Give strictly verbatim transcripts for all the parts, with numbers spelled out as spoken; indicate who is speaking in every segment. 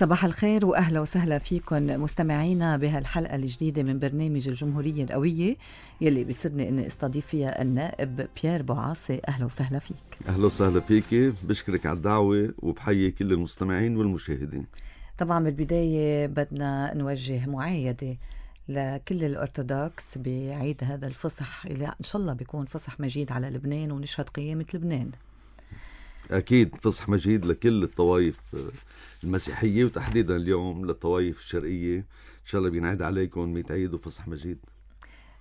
Speaker 1: صباح الخير وأهلا وسهلا فيكم مستمعينا بهالحلقة الجديدة من برنامج الجمهورية القوية يلي بيسرني أني استضيف فيها النائب بيير بوعاصي. أهلا وسهلا فيك.
Speaker 2: أهلا وسهلا فيك، بشكرك على الدعوة وبحيي كل المستمعين والمشاهدين.
Speaker 1: طبعا بالبداية بدنا نوجه معايدة لكل الأرثوذكس بعيد هذا الفصح اللي إن شاء الله بيكون فصح مجيد على لبنان ونشهد قيامة لبنان.
Speaker 2: أكيد فصح مجيد لكل الطوائف المسيحية وتحديدا اليوم للطوائف الشرقية. إن شاء الله بينعاد عليكم ميت عيد وفصح مجيد.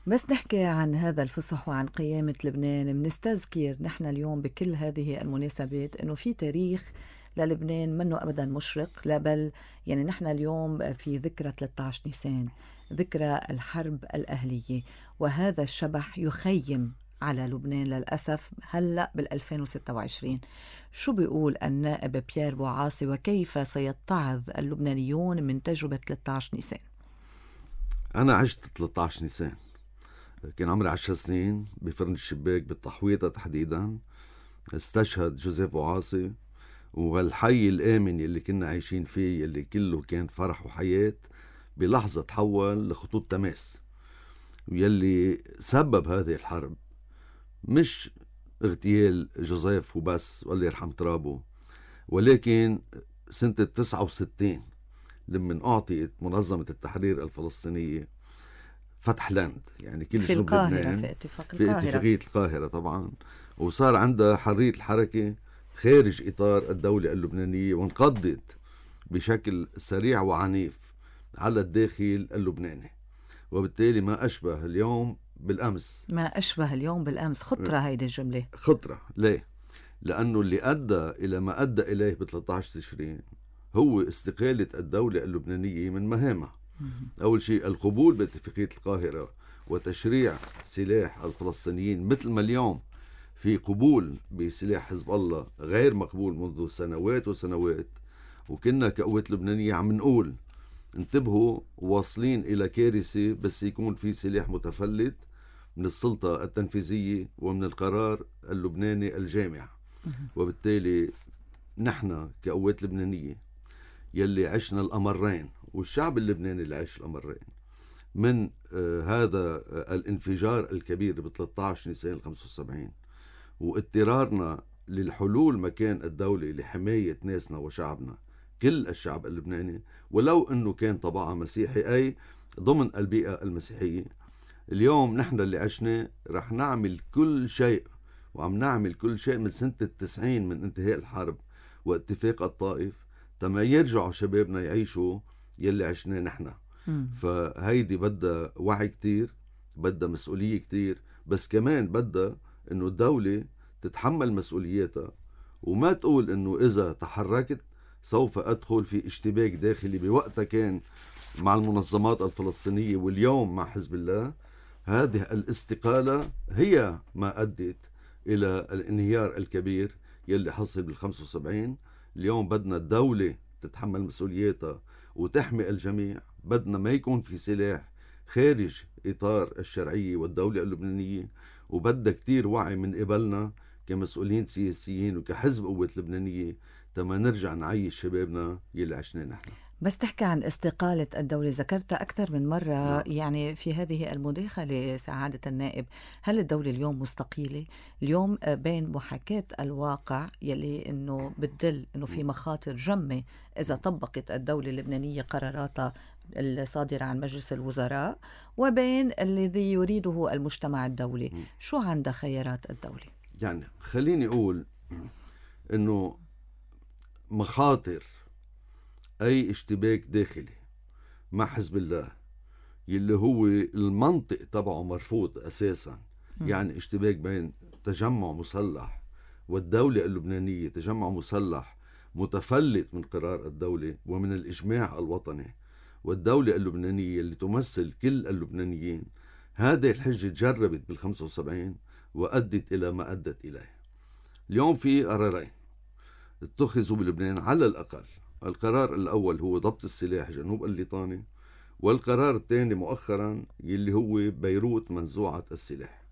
Speaker 1: بس نحكي عن هذا الفصح وعن قيامة لبنان، منستذكر نحن اليوم بكل هذه المناسبات أنه في تاريخ للبنان منه أبدا مشرق، لا بل يعني نحن اليوم في ذكرى ثلاثة عشر نيسان، ذكرى الحرب الأهلية، وهذا الشبح يخيم على لبنان للأسف هلأ بالألفين وستة وعشرين. شو بيقول النائب بيير بوعاصي وكيف سيتعظ اللبنانيون من تجربة ثلاثة عشر نيسان؟
Speaker 2: أنا عشت ثلاثة عشر نيسان، كان عمري عشر سنين بفرن الشباك بالتحويطة تحديدا. استشهد جوزيف بوعاصي، والحي الآمن يلي كنا عايشين فيه يلي كله كان فرح وحياة بلحظة تحول لخطوط تماس. ويلي سبب هذه الحرب مش اغتيال جوزيف وبس والله يرحم ترابه، ولكن سنة تسعة وستين لما أعطيت منظمة التحرير الفلسطينية فتح لاند، يعني كل
Speaker 1: في
Speaker 2: جنوب
Speaker 1: القاهرة
Speaker 2: لبنان
Speaker 1: في اتفاق
Speaker 2: في
Speaker 1: القاهرة.
Speaker 2: اتفاقية القاهرة طبعا، وصار عندها حرية الحركة خارج إطار الدولة اللبنانية، وانقضت بشكل سريع وعنيف على الداخل اللبناني. وبالتالي ما أشبه اليوم بالأمس.
Speaker 1: ما أشبه اليوم بالأمس، خطرة هيدي الجملة.
Speaker 2: خطرة ليه؟ لأنه اللي أدى إلى ما أدى إليه ب ثلاثة عشر تشرين هو استقالة الدولة اللبنانية من مهامها. أول شيء القبول باتفاقية القاهرة وتشريع سلاح الفلسطينيين، مثل ما اليوم في قبول بسلاح حزب الله غير مقبول منذ سنوات وسنوات. وكنا كقوات لبنانية عم نقول انتبهوا واصلين إلى كارثة بس يكون في سلاح متفلت من السلطة التنفيذية ومن القرار اللبناني الجامع. وبالتالي نحن كقوات لبنانية يلي عشنا الأمرين، والشعب اللبناني اللي عاش الأمرين، من آه هذا آه الانفجار الكبير ب ثلاثة عشر نيسان خمسة وسبعين، واضطرارنا للحلول مكان الدولة لحماية ناسنا وشعبنا، كل الشعب اللبناني ولو أنه كان طبعا مسيحي أي ضمن البيئة المسيحية. اليوم نحن اللي عشنا رح نعمل كل شيء، وعم نعمل كل شيء من سنة التسعين من انتهاء الحرب واتفاق الطائف تما يرجعوا شبابنا يعيشوا يلي عشناه نحن. فهيدي بدها وعي كتير، بدها مسؤولية كتير، بس كمان بدها انه الدولة تتحمل مسؤولياتها وما تقول انه اذا تحركت سوف ادخل في اشتباك داخلي بوقتها كان مع المنظمات الفلسطينية واليوم مع حزب الله. هذه الاستقالة هي ما أدت إلى الانهيار الكبير يلي حصل بالخمسة وسبعين. اليوم بدنا الدولة تتحمل مسؤولياتها وتحمي الجميع، بدنا ما يكون في سلاح خارج إطار الشرعية والدولة اللبنانية، وبدنا كتير وعي من قبلنا كمسؤولين سياسيين وكحزب قوة لبنانية تما نرجع نعيش شبابنا يلي عشنا نحن.
Speaker 1: بس تحكي عن استقالة الدولة، ذكرتها أكثر من مرة. نعم. يعني في هذه المداخلة سعادة النائب، هل الدولة اليوم مستقيلة؟ اليوم بين محاكاة الواقع يلي أنه بتدل أنه في مخاطر جمة إذا طبقت الدولة اللبنانية قراراتها الصادرة عن مجلس الوزراء، وبين الذي يريده المجتمع الدولي. شو عندها خيارات الدولة؟
Speaker 2: يعني خليني أقول أنه مخاطر أي اشتباك داخلي مع حزب الله يلي هو المنطق تبعه مرفوض أساسا، يعني اشتباك بين تجمع مسلح والدولة اللبنانية، تجمع مسلح متفلت من قرار الدولة ومن الإجماع الوطني، والدولة اللبنانية اللي تمثل كل اللبنانيين. هذه الحجة تجربت بالخمسة وسبعين وأدت إلى ما أدت إليه. اليوم في قرارين اتخذوا بلبنان على الأقل. القرار الأول هو ضبط السلاح جنوب الليطاني، والقرار الثاني مؤخرا يلي هو بيروت منزوعة السلاح.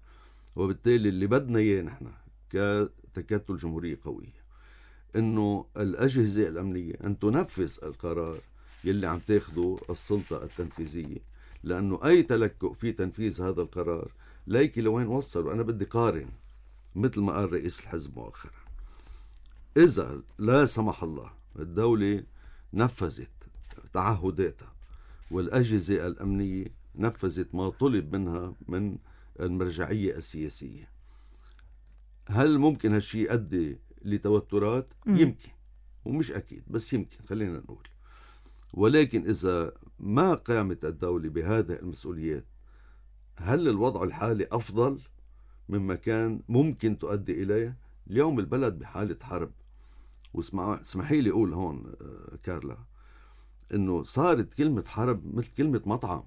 Speaker 2: وبالتالي اللي بدنا إياه نحن كتكتل جمهورية قوية إنه الأجهزة الأمنية أن تنفذ القرار يلي عم تاخده السلطة التنفيذية، لأنه أي تلكؤ في تنفيذ هذا القرار ليكي لوين وصل. وأنا بدي قارن مثل ما قال رئيس الحزب مؤخرا، إذا لا سمح الله الدولة نفذت تعهداتها والأجهزة الأمنية نفذت ما طلب منها من المرجعية السياسية، هل ممكن هالشي يؤدي لتوترات؟
Speaker 1: م.
Speaker 2: يمكن، ومش أكيد، بس يمكن، خلينا نقول. ولكن إذا ما قامت الدولة بهذه المسؤوليات، هل الوضع الحالي أفضل مما كان ممكن تؤدي إليه؟ اليوم البلد بحالة حرب. واسمحي لي أقول هون كارلا إنه صارت كلمة حرب مثل كلمة مطعم،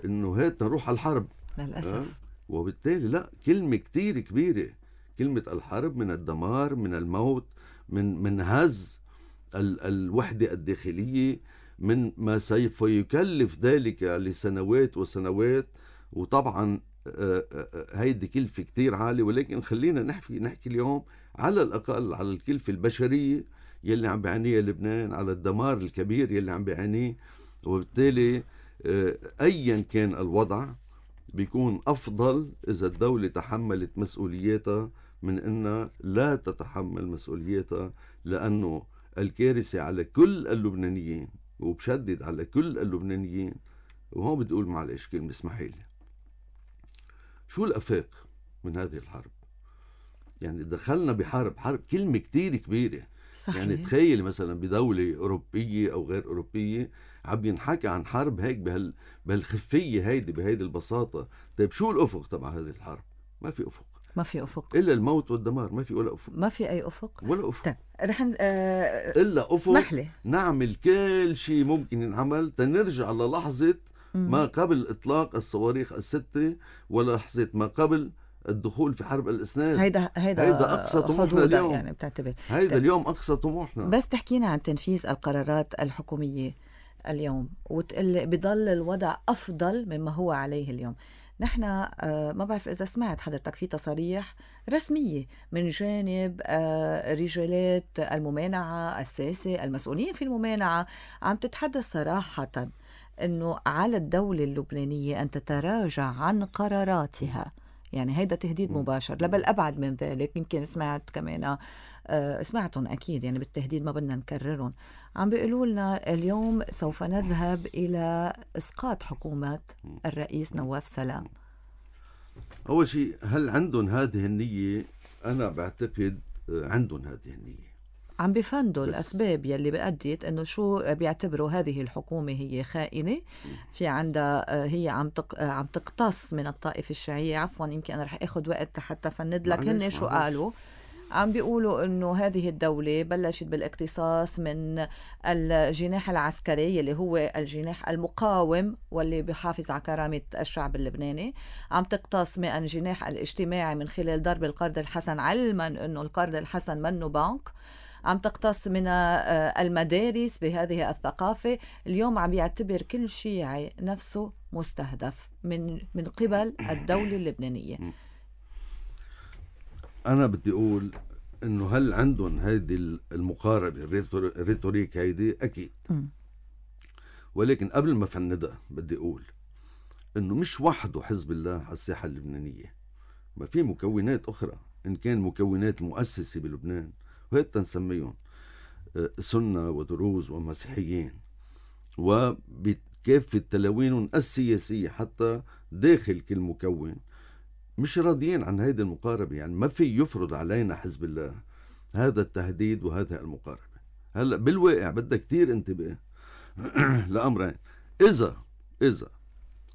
Speaker 2: إنه هات نروح على الحرب
Speaker 1: للأسف.
Speaker 2: أه؟ وبالتالي لا، كلمة كتير كبيرة، كلمة الحرب، من الدمار، من الموت، من من هز ال الوحدة الداخلية، من ما سوف يكلف ذلك لسنوات وسنوات. وطبعا هيدي كلفة كتير عالية، ولكن خلينا نحكي نحكي اليوم على الأقل على الكلفة البشرية يلي عم بيعانيها لبنان، على الدمار الكبير يلي عم بيعانيه. وبالتالي أيا كان الوضع بيكون أفضل إذا الدولة تحملت مسؤولياتها من أنها لا تتحمل مسؤولياتها، لأنه الكارثة على كل اللبنانيين، وبشدد على كل اللبنانيين. وهون بدي أقول معلش كلمة، اسمحي لي، شو الأفاق من هذه الحرب؟ يعني دخلنا بحرب، حرب كلمة كتير كبيرة.
Speaker 1: صحيح.
Speaker 2: يعني تخيل مثلا بدولة أوروبية أو غير أوروبية عم ينحكى عن حرب هيك بهال بهالخفية هيدي، بهيدي البساطة. طيب شو الأفق تبع هذه الحرب؟ ما في أفق،
Speaker 1: ما في أفق
Speaker 2: إلا الموت والدمار، ما في ولا أفق،
Speaker 1: ما في أي أفق
Speaker 2: ولا أفق.
Speaker 1: طيب رح ن... آه...
Speaker 2: إلا أفق
Speaker 1: اسمح لي
Speaker 2: نعمل كل شيء ممكن ينعمل تنرجع للحظة ما قبل إطلاق الصواريخ الستة، ولحظة ما قبل الدخول في حرب الإسناد.
Speaker 1: هيدا هيدا,
Speaker 2: هيدا أقصى طموحنا اليوم،
Speaker 1: يعني بتعتبر
Speaker 2: هيدا
Speaker 1: طيب.
Speaker 2: اليوم أقصى طموحنا.
Speaker 1: بس تحكينا عن تنفيذ القرارات الحكومية اليوم وتقول بضل الوضع أفضل مما هو عليه اليوم. نحن آه ما بعرف إذا سمعت حضرتك في تصاريح رسمية من جانب آه رجالات الممانعة الساسة المسؤولين في الممانعة، عم تتحدث صراحة أنه على الدولة اللبنانية أن تتراجع عن قراراتها. يعني هيدا تهديد مباشر، لبل أبعد من ذلك. يمكن سمعت كمان آه سمعتهم أكيد، يعني بالتهديد ما بدنا نكررهم. عم بيقولوا لنا اليوم سوف نذهب إلى إسقاط حكومة الرئيس نواف سلام.
Speaker 2: أول شيء، هل عندهم هذه النية؟ أنا بعتقد عندهم هذه النية.
Speaker 1: عم بفندوا الأسباب يلي بأديت أنه شو بيعتبروا هذه الحكومة هي خائنة، في عندها هي عم تق... عم تقتص من الطائفة الشيعية. عفوا يمكن أنا رح أخذ وقت حتى فند لك هن شو قالوا. عم بيقولوا أنه هذه الدولة بلشت بالاقتصاص من الجناح العسكري اللي هو الجناح المقاوم واللي بيحافظ على كرامة الشعب اللبناني، عم تقتص من الجناح الاجتماعي من خلال ضرب القرض الحسن، علما أنه القرض الحسن منه بنك، عم تقتص من المدارس بهذه الثقافة. اليوم عم يعتبر كل شيعي نفسه مستهدف من من قبل الدولة اللبنانية.
Speaker 2: أنا بدي أقول إنه هل عندهم هيدي المقاربة الريتوريك هيدي؟ أكيد. م. ولكن قبل ما فندها بدي أقول إنه مش وحده حزب الله على الساحة اللبنانية، ما في مكونات أخرى، إن كان مكونات مؤسسة بلبنان، وهيك نسميهم سنة ودروز ومسيحيين، وبكافة تلاوينهم السياسية حتى داخل كل مكون مش راضيين عن هذه المقاربة. يعني ما في يفرض علينا حزب الله هذا التهديد وهذا المقاربة. هلأ بالواقع بدها كتير انتباه لأمرين. إذا إذا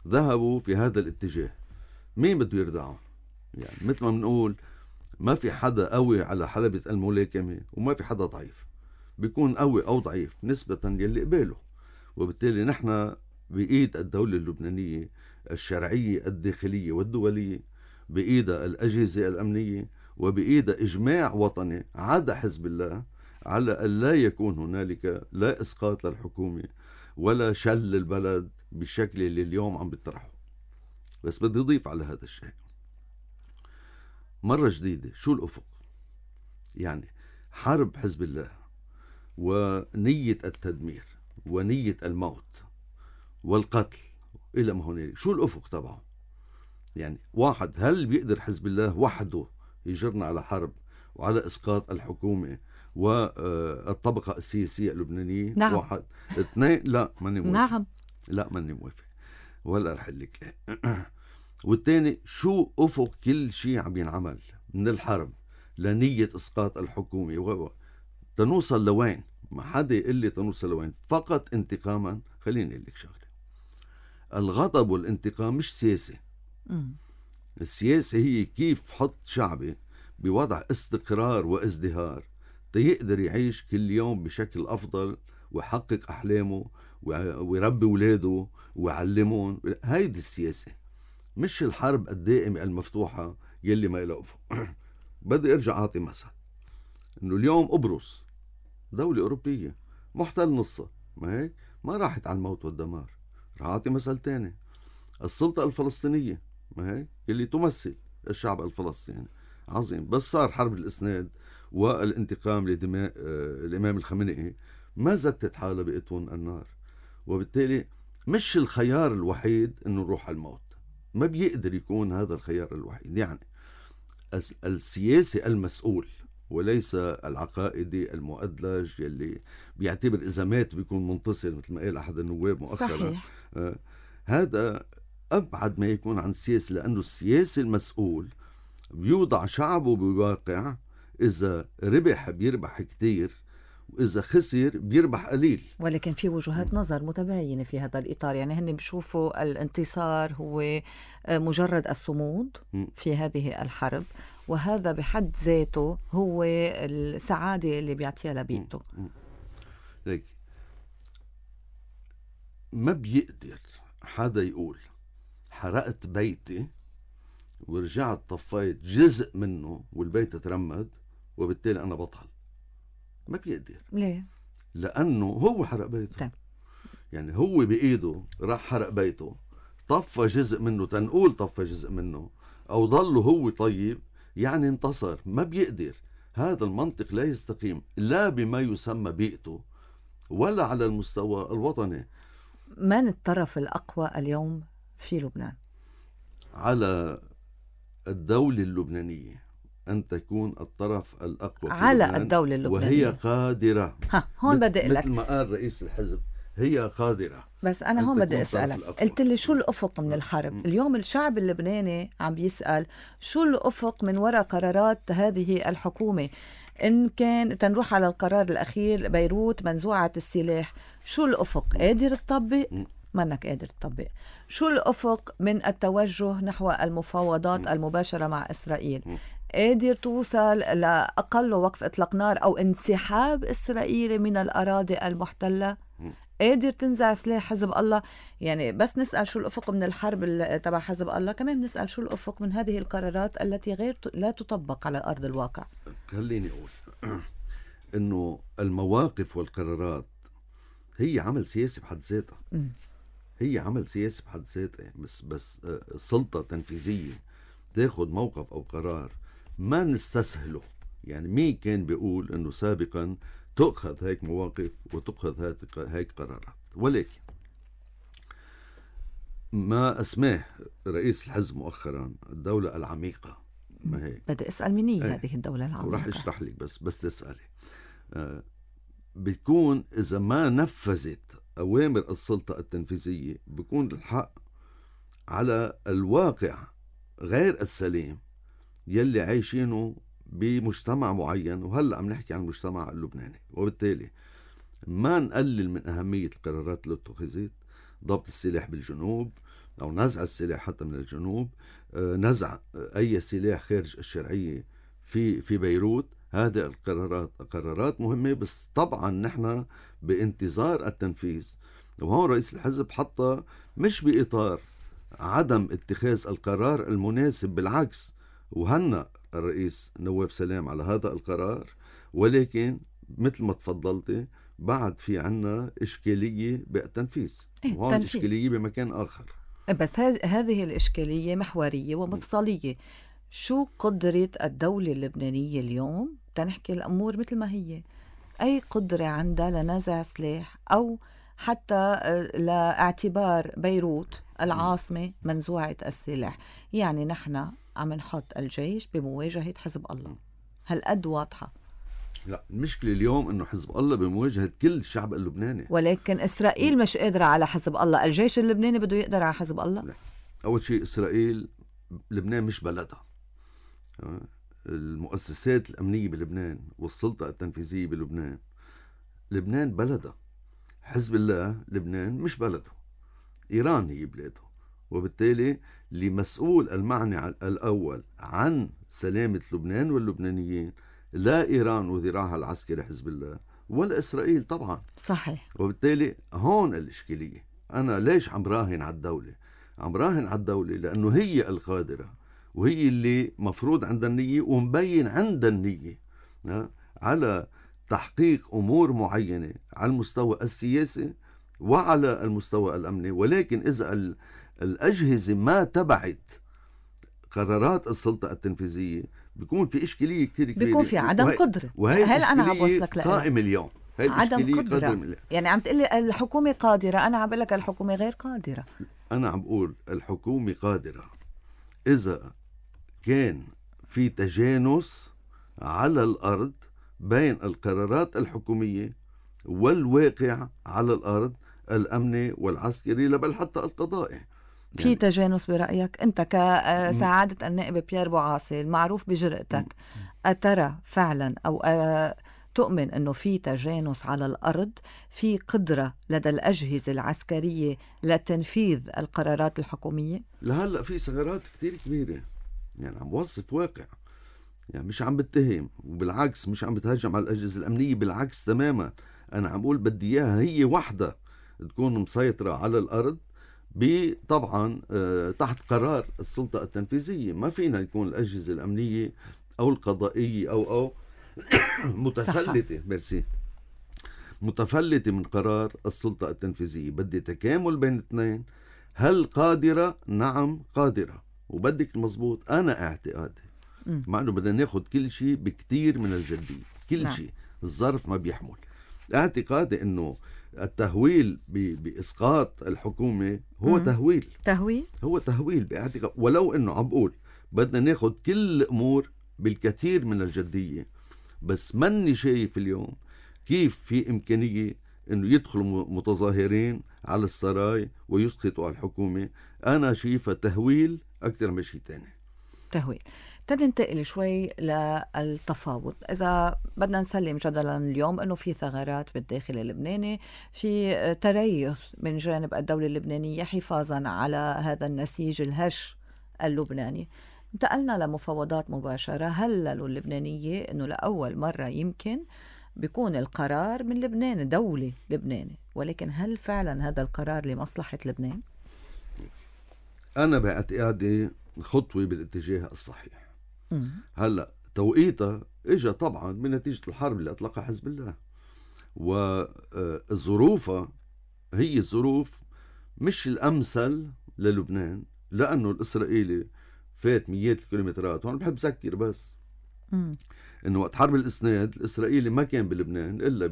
Speaker 2: ذهبوا في هذا الاتجاه، مين بده يردعهم؟ يعني مثل ما بنقول ما في حدا قوي على حلبة الملاكمة وما في حدا ضعيف، بيكون قوي أو ضعيف نسبة يلي قباله. وبالتالي نحن بإيد الدولة اللبنانية الشرعية الداخلية والدولية، بإيدها الأجهزة الأمنية، وبإيدها إجماع وطني عدا حزب الله على أن لا يكون هنالك لا إسقاط للحكومة ولا شل البلد بالشكل اللي اليوم عم بيطرحه. بس بدي أضيف على هذا الشيء مرة جديدة، شو الأفق؟ يعني حرب حزب الله ونية التدمير ونية الموت والقتل إلى ما هنالك، شو الأفق تبعه؟ يعني واحد، هل بيقدر حزب الله وحده يجرنا على حرب وعلى إسقاط الحكومة والطبقة السياسية اللبنانية؟
Speaker 1: نعم.
Speaker 2: واحد. اثنين، لا ماني موافق.
Speaker 1: نعم.
Speaker 2: لا ماني موافق ولا رح لك. والتاني، شو أفق كل شيء عم ينعمل من الحرب لنية إسقاط الحكومة و... تنوصل لوين؟ ما حدا يقول لي تنوصل لوين. فقط انتقاما. خليني أقول لك شغلة، الغضب والانتقام مش سياسة.
Speaker 1: مم.
Speaker 2: السياسة هي كيف حط شعبي بوضع استقرار وازدهار تيقدر يعيش كل يوم بشكل أفضل ويحقق أحلامه ويربي ولاده ويعلمون. هيدي السياسة، مش الحرب الدائمة المفتوحة يلي ما إلها أفق. بدي أرجع أعطي مثل، إنه اليوم قبرص دولة أوروبية محتل نصها، ما هيك؟ ما راحت على الموت والدمار. رح أعطي مثل تاني، السلطة الفلسطينية، ما هيك؟ يلي تمثل الشعب الفلسطيني، عظيم، بس صار حرب الإسناد والانتقام لدماء الإمام الخمينئي، ما زتت حالها بأتون النار. وبالتالي مش الخيار الوحيد إنه نروح على الموت، ما بيقدر يكون هذا الخيار الوحيد. يعني السياسي المسؤول وليس العقائدي المؤدلج يلي بيعتبر إذا مات بيكون منتصر، مثل ما قال أحد النواب مؤخرا.
Speaker 1: صحيح.
Speaker 2: آه هذا أبعد ما يكون عن السياسي، لأنه السياسي المسؤول بيوضع شعبه بواقع، إذا ربح بيربح كتير وإذا خسر بيربح قليل.
Speaker 1: ولكن في وجهات نظر متباينة في هذا الإطار، يعني هن بيشوفوا الانتصار هو مجرد الصمود في هذه الحرب، وهذا بحد ذاته هو السعادة اللي بيعطيها لبيته.
Speaker 2: ليك ما بيقدر حدا يقول حرقت بيتي ورجعت طفيت جزء منه والبيت ترمد وبالتالي أنا بطل. ما بيقدر.
Speaker 1: ليه؟
Speaker 2: لأنه هو حرق بيته.
Speaker 1: طيب.
Speaker 2: يعني هو بإيده راح حرق بيته، طفى جزء منه، تنقول طفى جزء منه، أو ضله هو طيب، يعني انتصر. ما بيقدر. هذا المنطق لا يستقيم لا بما يسمى بيئته ولا على المستوى الوطني.
Speaker 1: من الطرف الأقوى اليوم في لبنان؟
Speaker 2: على الدولة اللبنانية أن تكون الطرف الأقوى في
Speaker 1: على
Speaker 2: لبنان،
Speaker 1: الدولة اللبنانية،
Speaker 2: وهي قادرة.
Speaker 1: ها هون بدي أقول لك،
Speaker 2: مثل ما قال رئيس الحزب، هي قادرة.
Speaker 1: بس أنا هون بدي أسألك، قلت لي شو الأفق من الحرب؟ م. اليوم الشعب اللبناني عم بيسأل شو الأفق من وراء قرارات هذه الحكومة. إن كان تنروح على القرار الأخير بيروت منزوعة السلاح، شو الأفق؟ قادر تطبق؟ منك قادر تطبق. شو الأفق من التوجه نحو المفاوضات المباشرة مع إسرائيل؟ قادر توصل لأقل وقف إطلاق نار أو انسحاب إسرائيلي من الأراضي المحتلة؟ قادر تنزع سلاح حزب الله؟ يعني بس نسأل شو الأفق من الحرب تبع حزب الله، كمان نسأل شو الأفق من هذه القرارات التي غير لا تطبق على أرض الواقع.
Speaker 2: خليني أقول إنه المواقف والقرارات هي عمل سياسي بحد ذاتها. هي عمل سياسي بحد ذاتها، بس بس سلطة تنفيذية تاخد موقف أو قرار ما نستسهله. يعني مين كان بيقول إنه سابقا تأخذ هيك مواقف وتأخذ هيك قرارات؟ ولكن ما اسماه رئيس الحزب مؤخرا الدولة العميقة، ما هيك؟
Speaker 1: بدي أسأل مني ايه هذه الدولة العميقة،
Speaker 2: وراح اشرح لك، بس بس تسألي. آه بتكون إذا ما نفذت أوامر السلطة التنفيذية بيكون الحق على الواقع غير السليم يلي عايشينه بمجتمع معين، وهلأ عم نحكي عن المجتمع اللبناني. وبالتالي ما نقلل من أهمية القرارات اللي اتخذت، ضبط السلاح بالجنوب أو نزع السلاح حتى من الجنوب، نزع أي سلاح خارج الشرعية في في بيروت. هذه القرارات قرارات مهمة، بس طبعا نحن بانتظار التنفيذ. وهون رئيس الحزب حتى مش بإطار عدم اتخاذ القرار المناسب، بالعكس، وهنأ الرئيس نواف سلام على هذا القرار، ولكن مثل ما تفضلتي بعد في عنا إشكالية بالتنفيذ،
Speaker 1: إيه
Speaker 2: وهون إشكالية بمكان آخر.
Speaker 1: بس هذه الإشكالية محورية ومفصلية. شو قدرة الدولة اللبنانية اليوم تنحكي الأمور مثل ما هي، أي قدرة عندها لنزع سلاح أو حتى لاعتبار بيروت العاصمة منزوعة السلاح. يعني نحن عم نحط الجيش بمواجهة حزب الله، هالقد واضحة.
Speaker 2: لا، المشكلة اليوم انه حزب الله بمواجهة كل الشعب اللبناني،
Speaker 1: ولكن إسرائيل مش قادرة على حزب الله، الجيش اللبناني بده يقدر على حزب الله.
Speaker 2: لا. أول شيء إسرائيل لبنان مش بلدها. المؤسسات الأمنية بلبنان والسلطة التنفيذية بلبنان، لبنان بلدها. حزب الله لبنان مش بلده، إيران هي بلاده. وبالتالي اللي مسؤول المعني الأول عن سلامة لبنان واللبنانيين لا إيران وذراعها العسكري حزب الله ولا إسرائيل طبعا.
Speaker 1: صحيح.
Speaker 2: وبالتالي هون الإشكالية. أنا ليش عم راهن على الدولة؟ عم راهن على الدولة لأنه هي القادرة، وهي اللي مفروض عندها النية ومبين عندها النية على تحقيق أمور معينة على المستوى السياسي وعلى المستوى الأمني. ولكن إذا الأجهزة ما تبعت قرارات السلطة التنفيذية بيكون في إشكالية كتير كبيرة،
Speaker 1: بيكون في عدم وهي قدرة.
Speaker 2: وهي
Speaker 1: هل أنا عم بوصلك لها
Speaker 2: قائم اليوم
Speaker 1: عدم قدرة؟ يعني عم تقلي الحكومة قادرة، أنا عم بقول لك الحكومة غير قادرة.
Speaker 2: أنا عم بقول الحكومة قادرة إذا كان في تجانس على الأرض بين القرارات الحكومية والواقع على الأرض الأمني والعسكري بل حتى القضائي.
Speaker 1: في يعني تجانس برأيك أنت كسعادة النائب بيير بوعاصي المعروف بجرأتك، أترى فعلا أو تؤمن أنه في تجانس على الأرض، في قدرة لدى الأجهزة العسكرية لتنفيذ القرارات الحكومية؟
Speaker 2: لهلأ في ثغرات كتير كبيرة، يعني عم بوصف واقع، يعني مش عم بتهم وبالعكس مش عم بتهجم على الأجهزة الأمنية، بالعكس تماما. أنا عم بقول بدي إياها هي وحدة تكون مسيطرة على الأرض طبعا تحت قرار السلطة التنفيذية. ما فينا يكون الأجهزة الأمنية أو القضائية أو أو متفلتة ميرسي متفلتة من قرار السلطة التنفيذية. بدي تكامل بين الاثنين. هل قادرة؟ نعم قادرة، وبدك المضبوط. أنا اعتقادي مع أنه بدنا ناخد كل شيء بكتير من الجدية، كل نعم. شيء الظرف ما بيحمل. اعتقادي أنه التهويل بإسقاط الحكومة هو مم. تهويل
Speaker 1: تهويل
Speaker 2: هو تهويل باعتقاد. ولو أنه عم بقول بدنا ناخد كل الأمور بالكثير من الجدية، بس مني شايف اليوم كيف في إمكانية أنه يدخلوا متظاهرين على السراي ويسقطوا على الحكومة. أنا شايفها تهويل أكثر من شيء تاني.
Speaker 1: تهويل. تننتقل شوي للتفاوض. إذا بدنا نسلم جدلا اليوم أنه في ثغرات بالداخل اللبناني، في تريث من جانب الدولة اللبنانية حفاظا على هذا النسيج الهش اللبناني، انتقلنا لمفاوضات مباشرة. هللوا اللبنانية أنه لأول مرة يمكن بيكون القرار من لبنان، دولة لبناني، ولكن هل فعلا هذا القرار لمصلحة لبنان؟
Speaker 2: أنا باعتقادي خطوة بالاتجاه الصحيح. م. هلأ توقيتها إجا طبعا من نتيجة الحرب اللي أطلقها حزب الله، والظروفها هي ظروف مش الأمثل للبنان، لأنه الإسرائيلي فات مئات الكيلومترات. هون بحب أذكر بس م. إنه وقت حرب الإسناد الإسرائيلي ما كان بلبنان إلا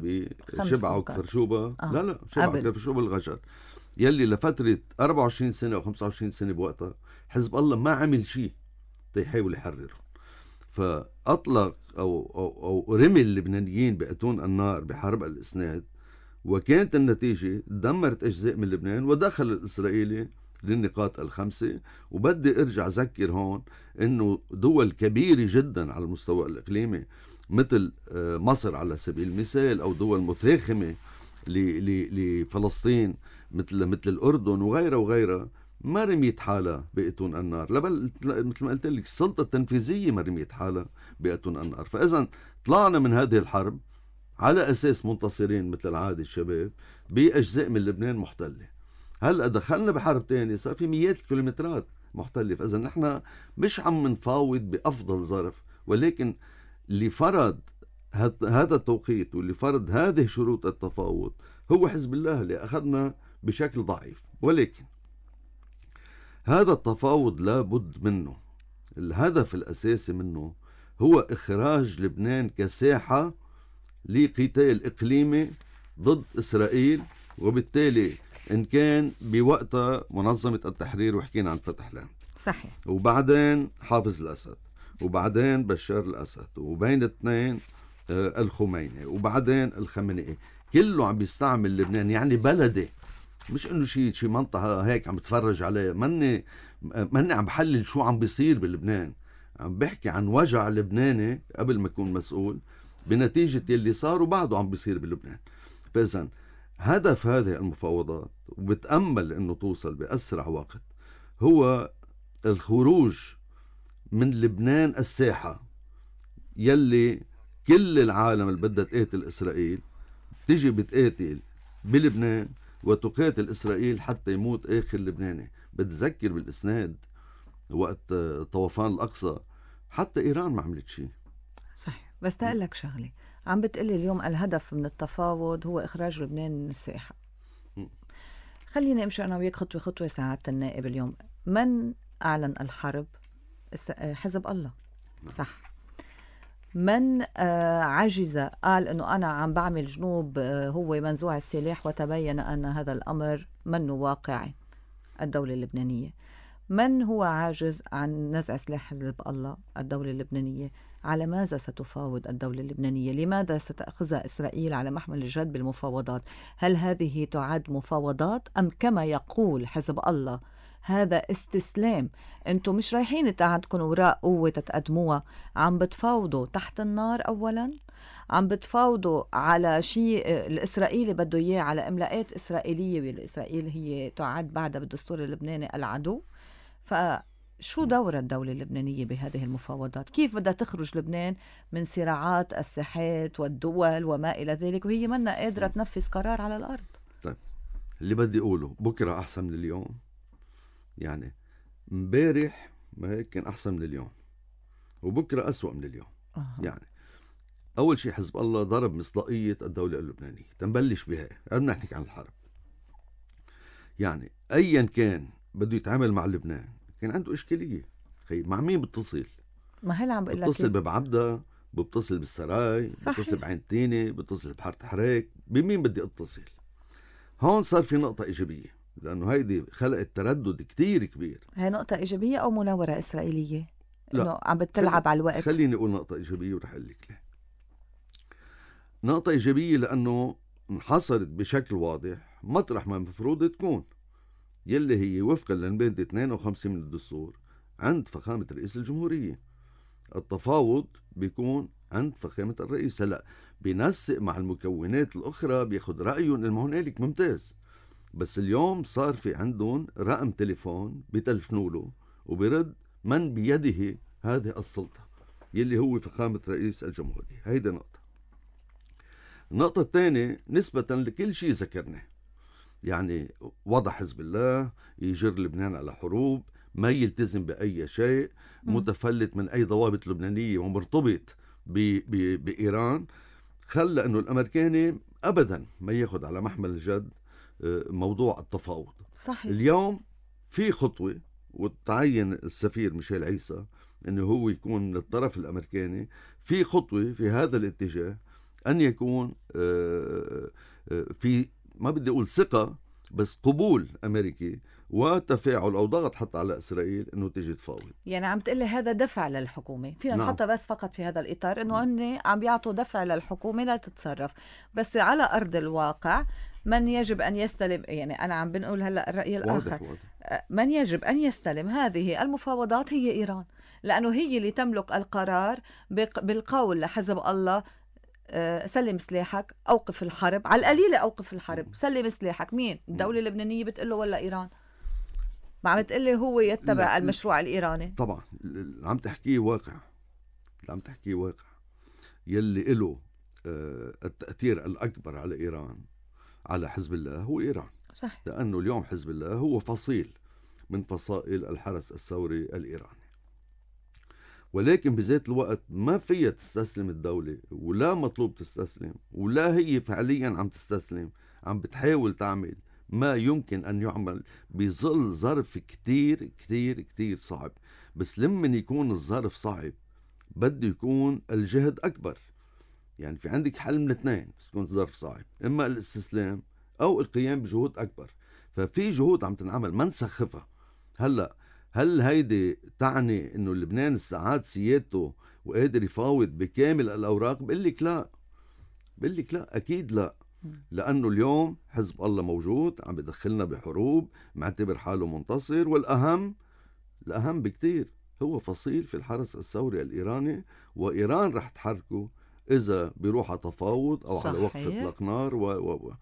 Speaker 2: بشبعة وكفر شوبة. آه. لا لا شبعة وكفر شوبة الغجر، يلي لفترة أربعة وعشرين سنة أو خمسة وعشرين سنة بوقتها حزب الله ما عمل شيء تيحاول يحرره. فأطلق أو, أو, أو رمي اللبنانيين بأتون النار بحرب الإسناد، وكانت النتيجة دمرت أجزاء من لبنان ودخل الإسرائيلي للنقاط الخمسة. وبدي أرجع أذكر هون إنه دول كبيرة جدا على المستوى الإقليمي مثل مصر على سبيل المثال، أو دول متاخمة لفلسطين مثل مثل الأردن وغيرها وغيرها، ما رميت حالها بأتون النار. لبل مثل ما قلت لك السلطة التنفيذية ما رميت حالها بأتون النار. فإذا طلعنا من هذه الحرب على أساس منتصرين مثل العادة الشباب بأجزاء من لبنان محتلة. هلأ دخلنا بحرب تانية صار في مئات الكيلومترات محتلة. فإذا نحن مش عم نفاوض بأفضل ظرف، ولكن اللي فرض هذا التوقيت واللي فرض هذه شروط التفاوض هو حزب الله اللي أخذنا بشكل ضعيف. ولكن هذا التفاوض لابد منه، الهدف الأساسي منه هو إخراج لبنان كساحة لقتال إقليمي ضد إسرائيل، وبالتالي إن كان بوقتها منظمة التحرير وحكينا عن فتح لاند،
Speaker 1: صحيح،
Speaker 2: وبعدين حافظ الأسد، وبعدين بشار الأسد، وبين اثنين آه الخميني، وبعدين الخميني، كله عم بيستعمل لبنان يعني بلدي، مش انه شيء شيء منطقة هيك عم بتفرج عليه. ماني ماني عم بحلل شو عم بيصير بلبنان، عم بحكي عن وجع لبناني قبل ما يكون مسؤول بنتيجة اللي صار وبعده عم بيصير بلبنان. فإذن هدف هذه المفاوضات، وبتأمل انه توصل بأسرع وقت، هو الخروج من لبنان الساحة يلي كل العالم اللي بدها تقاتل إسرائيل تيجي بتقاتل بلبنان وتقاتل إسرائيل حتى يموت آخر لبناني. بتذكر بالإسناد وقت طوفان الأقصى حتى إيران ما عملت شيء.
Speaker 1: صحيح، بس تقول لك شغلة، عم بتقلي اليوم الهدف من التفاوض هو إخراج لبنان من الساحة. خليني أمشي أنا وياك خطوة خطوة. سعادة النائب، اليوم من أعلن الحرب؟ حزب الله، صح. من عجز قال أنه أنا عم بعمل جنوب هو منزوع السلاح، وتبين أن هذا الأمر منه واقعي؟ الدولة اللبنانية. من هو عاجز عن نزع سلاح حزب الله؟ الدولة اللبنانية. على ماذا ستفاوض الدولة اللبنانية؟ لماذا ستأخذها إسرائيل على محمل الجد بالمفاوضات؟ هل هذه تعد مفاوضات أم كما يقول حزب الله هذا استسلام؟ انتم مش رايحين عندكم وراء قوة تتقدموها، عم بتفاوضوا تحت النار أولا، عم بتفاوضوا على شيء الإسرائيلي بده إياه، على إملاءات إسرائيلية، والإسرائيل هي تعد بعدها بالدستور اللبناني العدو. فشو دور الدولة اللبنانية بهذه المفاوضات؟ كيف بدها تخرج لبنان من صراعات الساحات والدول وما إلى ذلك وهي منا قادرة تنفذ قرار على الأرض؟
Speaker 2: طيب، اللي بدي أقوله بكرة أحسن من اليوم. يعني مبارح ما هيك كان أحسن من اليوم، وبكرة أسوأ من اليوم. أه. يعني أول شيء حزب الله ضرب مصداقية الدولة اللبنانية. تنبلش بها قبل ما نحكي عن الحرب. يعني أيا كان بده يتعامل مع لبنان كان عنده إشكالية. خي مع مين بتصل؟
Speaker 1: ما هلا عم بقول لك،
Speaker 2: بتصل ببعبدة، بتصل بالسراي، بتصل بعين تيني، بتصل بحارة حريك، بمين بدي اتصل؟ هون صار في نقطة إيجابية، لأنه هيدي خلقت تردد كتير كبير.
Speaker 1: هي نقطة إيجابية أو مناورة إسرائيلية؟ إنه عم بتلعب على الوقت.
Speaker 2: خليني أقول نقطة إيجابية ورح أقول لك ليه. نقطة إيجابية لأنه انحصرت بشكل واضح مطرح ما المفروض تكون، يلي هي وفقا للمادة اثنين وخمسين من الدستور عند فخامة رئيس الجمهورية. التفاوض بيكون عند فخامة الرئيس. هلا بينسق مع المكونات الأخرى، بياخد رأيهم، المهنالك ممتاز. بس اليوم صار في عندهم رقم تليفون بتلفنوا له وبرد من بيده هذه السلطة يلي هو فخامة رئيس الجمهورية. هيدا نقطة. النقطة الثانية نسبة لكل شيء ذكرناه، يعني وضع حزب الله، يجر لبنان على حروب، ما يلتزم بأي شيء، متفلت من أي ضوابط لبنانية ومرتبط بإيران، خلى أنه الأمريكاني أبدا ما ياخد على محمل الجد موضوع التفاوض.
Speaker 1: صحيح.
Speaker 2: اليوم في خطوة، وتعين السفير ميشيل عيسى أنه هو يكون من الطرف الأمريكاني، في خطوة في هذا الاتجاه أن يكون في، ما بدي أقول ثقة، بس قبول أمريكي وتفاعل أو ضغط حتى على إسرائيل أنه تيجي تفاوض.
Speaker 1: يعني عم تقلي هذا دفع للحكومة، فينا نعم. نحطها بس فقط في هذا الإطار أنه هن عم بيعطوا دفع للحكومة لا تتصرف. بس على أرض الواقع من يجب أن يستلم، يعني أنا عم بنقول هلأ الرأي الآخر، واضح واضح. من يجب أن يستلم هذه المفاوضات هي إيران، لأنه هي اللي تملك القرار بالقول لحزب الله سلم سلاحك، أوقف الحرب، على القليلة أوقف الحرب، سلم سلاحك. مين؟ الدولة اللبنانية بتقله ولا إيران؟ ما عم تقلي هو يتبع المشروع الإيراني؟
Speaker 2: طبعا اللي عم تحكيه واقع، اللي عم تحكيه واقع يلي له التأثير الأكبر على إيران، على حزب الله، هو إيران.
Speaker 1: صح.
Speaker 2: لأنه اليوم حزب الله هو فصيل من فصائل الحرس الثوري الإيراني، ولكن بذات الوقت ما فيها تستسلم الدولة، ولا مطلوب تستسلم، ولا هي فعليا عم تستسلم. عم بتحاول تعمل ما يمكن أن يعمل بظل ظرف كتير كتير كتير صعب. بس لمن يكون الظرف صعب بده يكون الجهد أكبر. يعني في عندك حل من اثنين بس يكون ظرف صعب، إما الاستسلام أو القيام بجهود أكبر. ففي جهود عم تنعمل ما نسخفها. هلأ هل هيدي تعني إنه لبنان استعاد سيادته وقادر يفاوض بكامل الأوراق؟ بقول لك لا، بقول لك لا، أكيد لا. لأنه اليوم حزب الله موجود عم بدخلنا بحروب، معتبر حاله منتصر، والأهم الأهم بكتير هو فصيل في الحرس الثوري الإيراني، وإيران رح تحركه إذا بيروح على تفاوض أو
Speaker 1: صحيح.
Speaker 2: على وقف إطلاق نار و... و... و...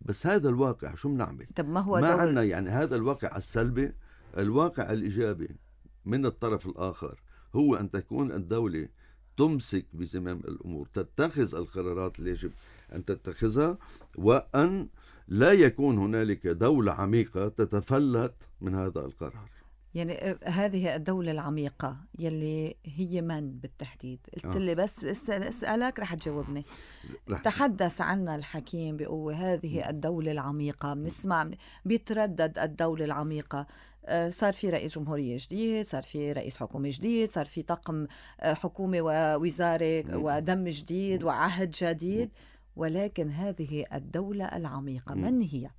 Speaker 2: بس هذا الواقع شو بنعمل؟
Speaker 1: طب ما هو
Speaker 2: ما
Speaker 1: دور
Speaker 2: عنا يعني هذا الواقع السلبي. الواقع الإيجابي من الطرف الآخر هو أن تكون الدولة تمسك بزمام الأمور، تتخذ القرارات اللي يجب أن تتخذها، وأن لا يكون هنالك دولة عميقة تتفلت من هذا القرار.
Speaker 1: يعني هذه الدولة العميقة يلي هي من بالتحديد؟ قلت
Speaker 2: آه.
Speaker 1: لي بس أسألك رح تجاوبني.
Speaker 2: رح
Speaker 1: تحدث عنها الحكيم بقوة هذه الدولة العميقة. بنسمع بيتردد الدولة العميقة. صار في رئيس جمهورية جديد، صار في رئيس حكومة جديد، صار في طاقم حكومة ووزارة ودم جديد وعهد جديد، ولكن هذه الدولة العميقة من هي؟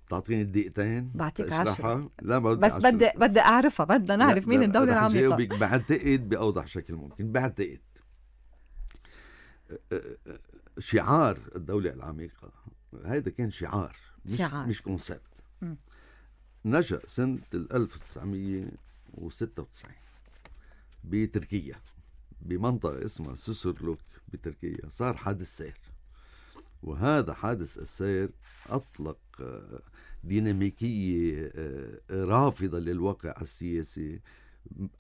Speaker 2: تعطيني الدقيقتين
Speaker 1: بعطيك عشرة.
Speaker 2: لا ما
Speaker 1: بس بدي بدي أعرفها، بدنا نعرف مين الدولة العميقة.
Speaker 2: بعتقد بأوضح شكل ممكن. بعتقد شعار الدولة العميقة هذا كان شعار مش,
Speaker 1: شعار.
Speaker 2: مش كونسبت. نشأ سنة ألف وتسعمية وستة وتسعين بتركيا بمنطقة اسمها سوسرلوك بتركيا. صار حادث سير، وهذا حادث السير أطلق ديناميكية رافضة للواقع السياسي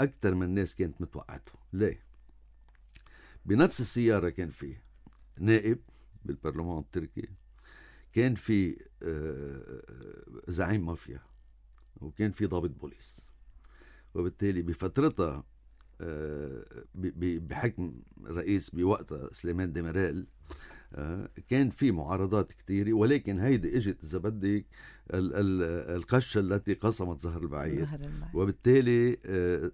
Speaker 2: أكثر من الناس كانت متوقعته. ليه؟ بنفس السيارة كان فيه نائب بالبرلمان التركي، كان في زعيم مافيا، وكان في ضابط بوليس. وبالتالي بفترتها بحكم رئيس بوقتها سليمان ديميرال كان في معارضات كتيرة، ولكن هيدي اجت إذا بدك القشة التي قسمت زهر البعير. وبالتالي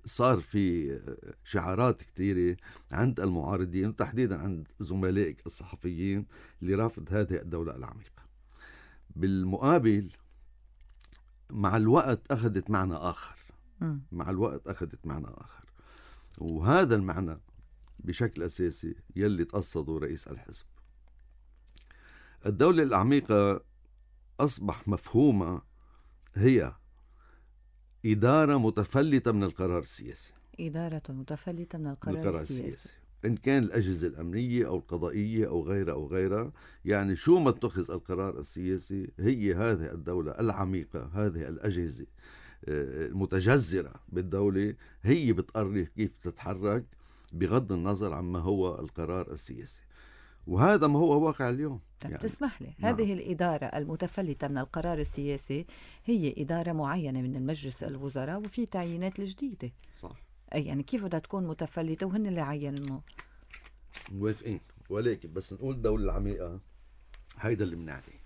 Speaker 2: صار في شعارات كتيرة عند المعارضين وتحديدا عند زملائك الصحفيين لرفض هذه الدولة العميقة. بالمقابل مع الوقت أخذت معنى آخر. مع الوقت أخذت معنى آخر، وهذا المعنى بشكل أساسي يلي تقصده رئيس الحزب. الدولة العميقة أصبح مفهومة هي إدارة متفلتة من القرار السياسي.
Speaker 1: إدارة متفلتة من القرار,
Speaker 2: القرار
Speaker 1: السياسي.
Speaker 2: السياسي إن كان الأجهزة الأمنية أو القضائية أو غيرها أو غيرها. يعني شو ما اتخذ القرار السياسي هي هذه الدولة العميقة، هذه الأجهزة المتجذرة بالدولة هي بتقرر كيف تتحرك بغض النظر عما هو القرار السياسي. وهذا ما هو واقع اليوم.
Speaker 1: يعني تسمح لي، نعم. هذه الإدارة المتفلتة من القرار السياسي هي إدارة معينة من المجلس الوزراء وفي تعيينات الجديدة.
Speaker 2: صح.
Speaker 1: أي يعني كيف بدها تكون متفلتة وهن اللي عينوا؟
Speaker 2: موافقين، ولكن بس نقول الدولة العميقة هيدا اللي بنعني،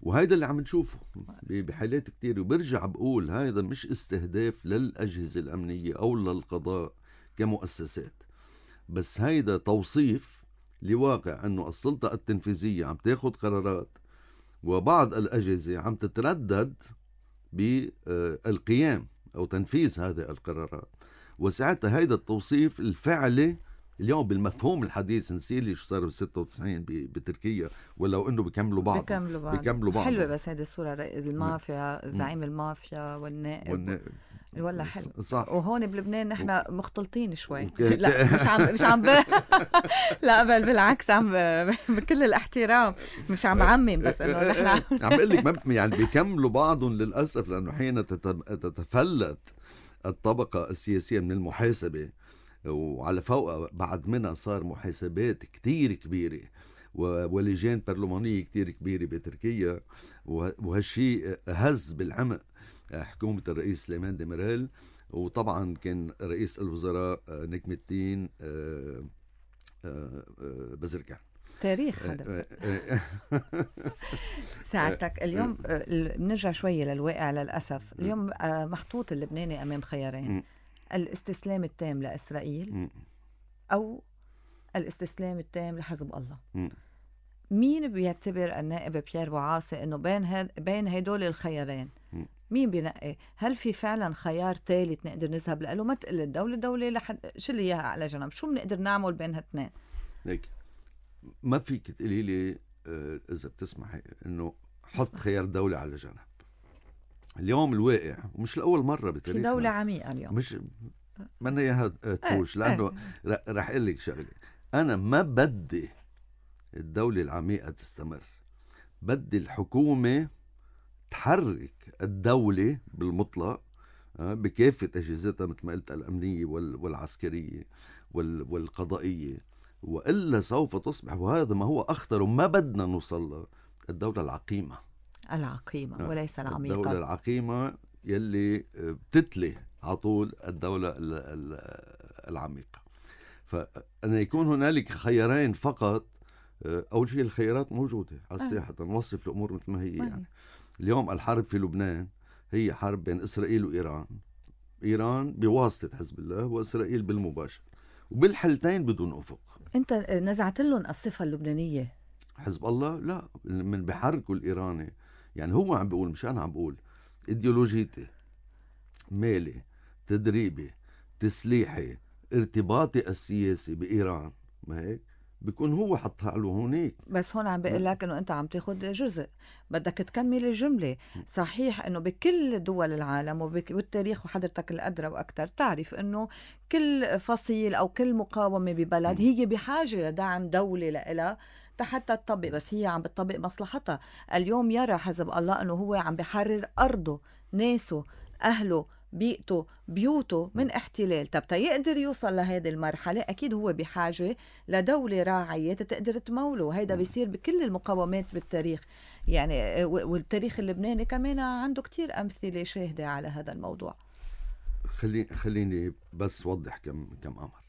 Speaker 2: وهيدا اللي عم نشوفه بحالات كتير. وبرجع بقول هيدا مش استهداف للأجهزة الأمنية أو للقضاء كمؤسسات، بس هيدا توصيف لواقع أنه السلطة التنفيذية عم تاخد قرارات وبعض الأجهزة عم تتردد بالقيام أو تنفيذ هذه القرارات. وساعتها هيدا التوصيف الفعلي اليوم بالمفهوم الحديث نسيلي شو صار بستة وتسعين بتركيا، ولو انه بيكملوا بعض
Speaker 1: بيكملوا بعض,
Speaker 2: بيكملوا بعض.
Speaker 1: حلوه بس هذه الصوره المافيا، زعيم المافيا والنائب,
Speaker 2: والنائب.
Speaker 1: ولا حلو.
Speaker 2: صح.
Speaker 1: وهون بلبنان نحن مختلطين شوي. لا مش عم مش عم ب... لا بل بالعكس عم بكل الاحترام مش عم عمم، بس انه نحن
Speaker 2: عم بقول لك يعني بيكملوا بعضهم للاسف، لانه حين تتفلت الطبقه السياسيه من المحاسبه وعلى فوق بعد منها صار محاسبات كتير كبيرة ولجان برلمانية كتير كبيرة بتركيا، وهالشي هز بالعمق حكومة الرئيس سليمان ديميرال. وطبعا كان رئيس الوزراء نجم الدين بزركان.
Speaker 1: تاريخ هذا. ساعتك اليوم بنرجع شوية للواقع للأسف. اليوم محطوط اللبناني أمام خيارين: الاستسلام التام لإسرائيل
Speaker 2: م.
Speaker 1: أو الاستسلام التام لحزب الله.
Speaker 2: م.
Speaker 1: مين بيعتبر النائب بيير بوعاصي إنه بين هاد بين هدول الخيارين
Speaker 2: م.
Speaker 1: مين بينقي؟ هل في فعلا خيار ثالث نقدر نذهب له؟ ما تقل الدولة الدولة لحد شو اللي إياها على جنب، شو بنقدر نعمل بين هالاثنين؟
Speaker 2: هيك ما فيك تقولي لي آه إذا بتسمحي إنه حط خيار دولة على جنب. اليوم الواقع ومش لأول مرة بتاريخنا
Speaker 1: في دولة عميقة اليوم،
Speaker 2: مش منا إياها تفوش، لأنه رح أقول لك شغلة، أنا ما بدي الدولة العميقة تستمر، بدي الحكومة تحرك الدولة بالمطلق بكافة أجهزتها مثل ما قلت الأمنية والعسكرية والقضائية، وإلا سوف تصبح، وهذا ما هو أخطر وما بدنا نوصل له، الدولة العقيمة
Speaker 1: العقيمة وليس العميقة.
Speaker 2: الدولة العقيمة يلي بتتلي على طول الدولة العميقة. فأنا يكون هنالك خيارين فقط، أول شيء الخيارات موجودة على الساحة، نوصف الأمور مثل ما هي. يعني اليوم الحرب في لبنان هي حرب بين إسرائيل وإيران، إيران بواسطة حزب الله وإسرائيل بالمباشر، وبالحالتين بدون أفق.
Speaker 1: أنت نزعت لهم الصفة اللبنانية.
Speaker 2: حزب الله لا، من بحركوا الإيراني، يعني هو عم بيقول مش أنا عم بقول، إيديولوجيتي، مالي، تدريبي، تسليحي، ارتباطي السياسي بإيران، ما هيك بيكون هو حطها له هونيك.
Speaker 1: بس هون عم بقول لك انه انت عم تاخذ جزء، بدك تكمل الجمله. صحيح انه بكل دول العالم والتاريخ، وحضرتك الادرى واكثر تعرف انه كل فصيل او كل مقاومه ببلد هي بحاجه لدعم دولي لها حتى تطبق، بس هي عم بتطبق مصلحتها. اليوم يرى حزب الله انه هو عم بحرر ارضه، ناسه، اهله، بيئته، بيوته من احتلال. طب تيقدر يوصل لهذه المرحلة أكيد هو بحاجة لدولة راعية تقدر تموله. هيدا بيصير بكل المقاومات بالتاريخ يعني، والتاريخ اللبناني كمان عنده كتير أمثلة شاهدة على هذا الموضوع.
Speaker 2: خليني خليني بس وضح كم كم أمر.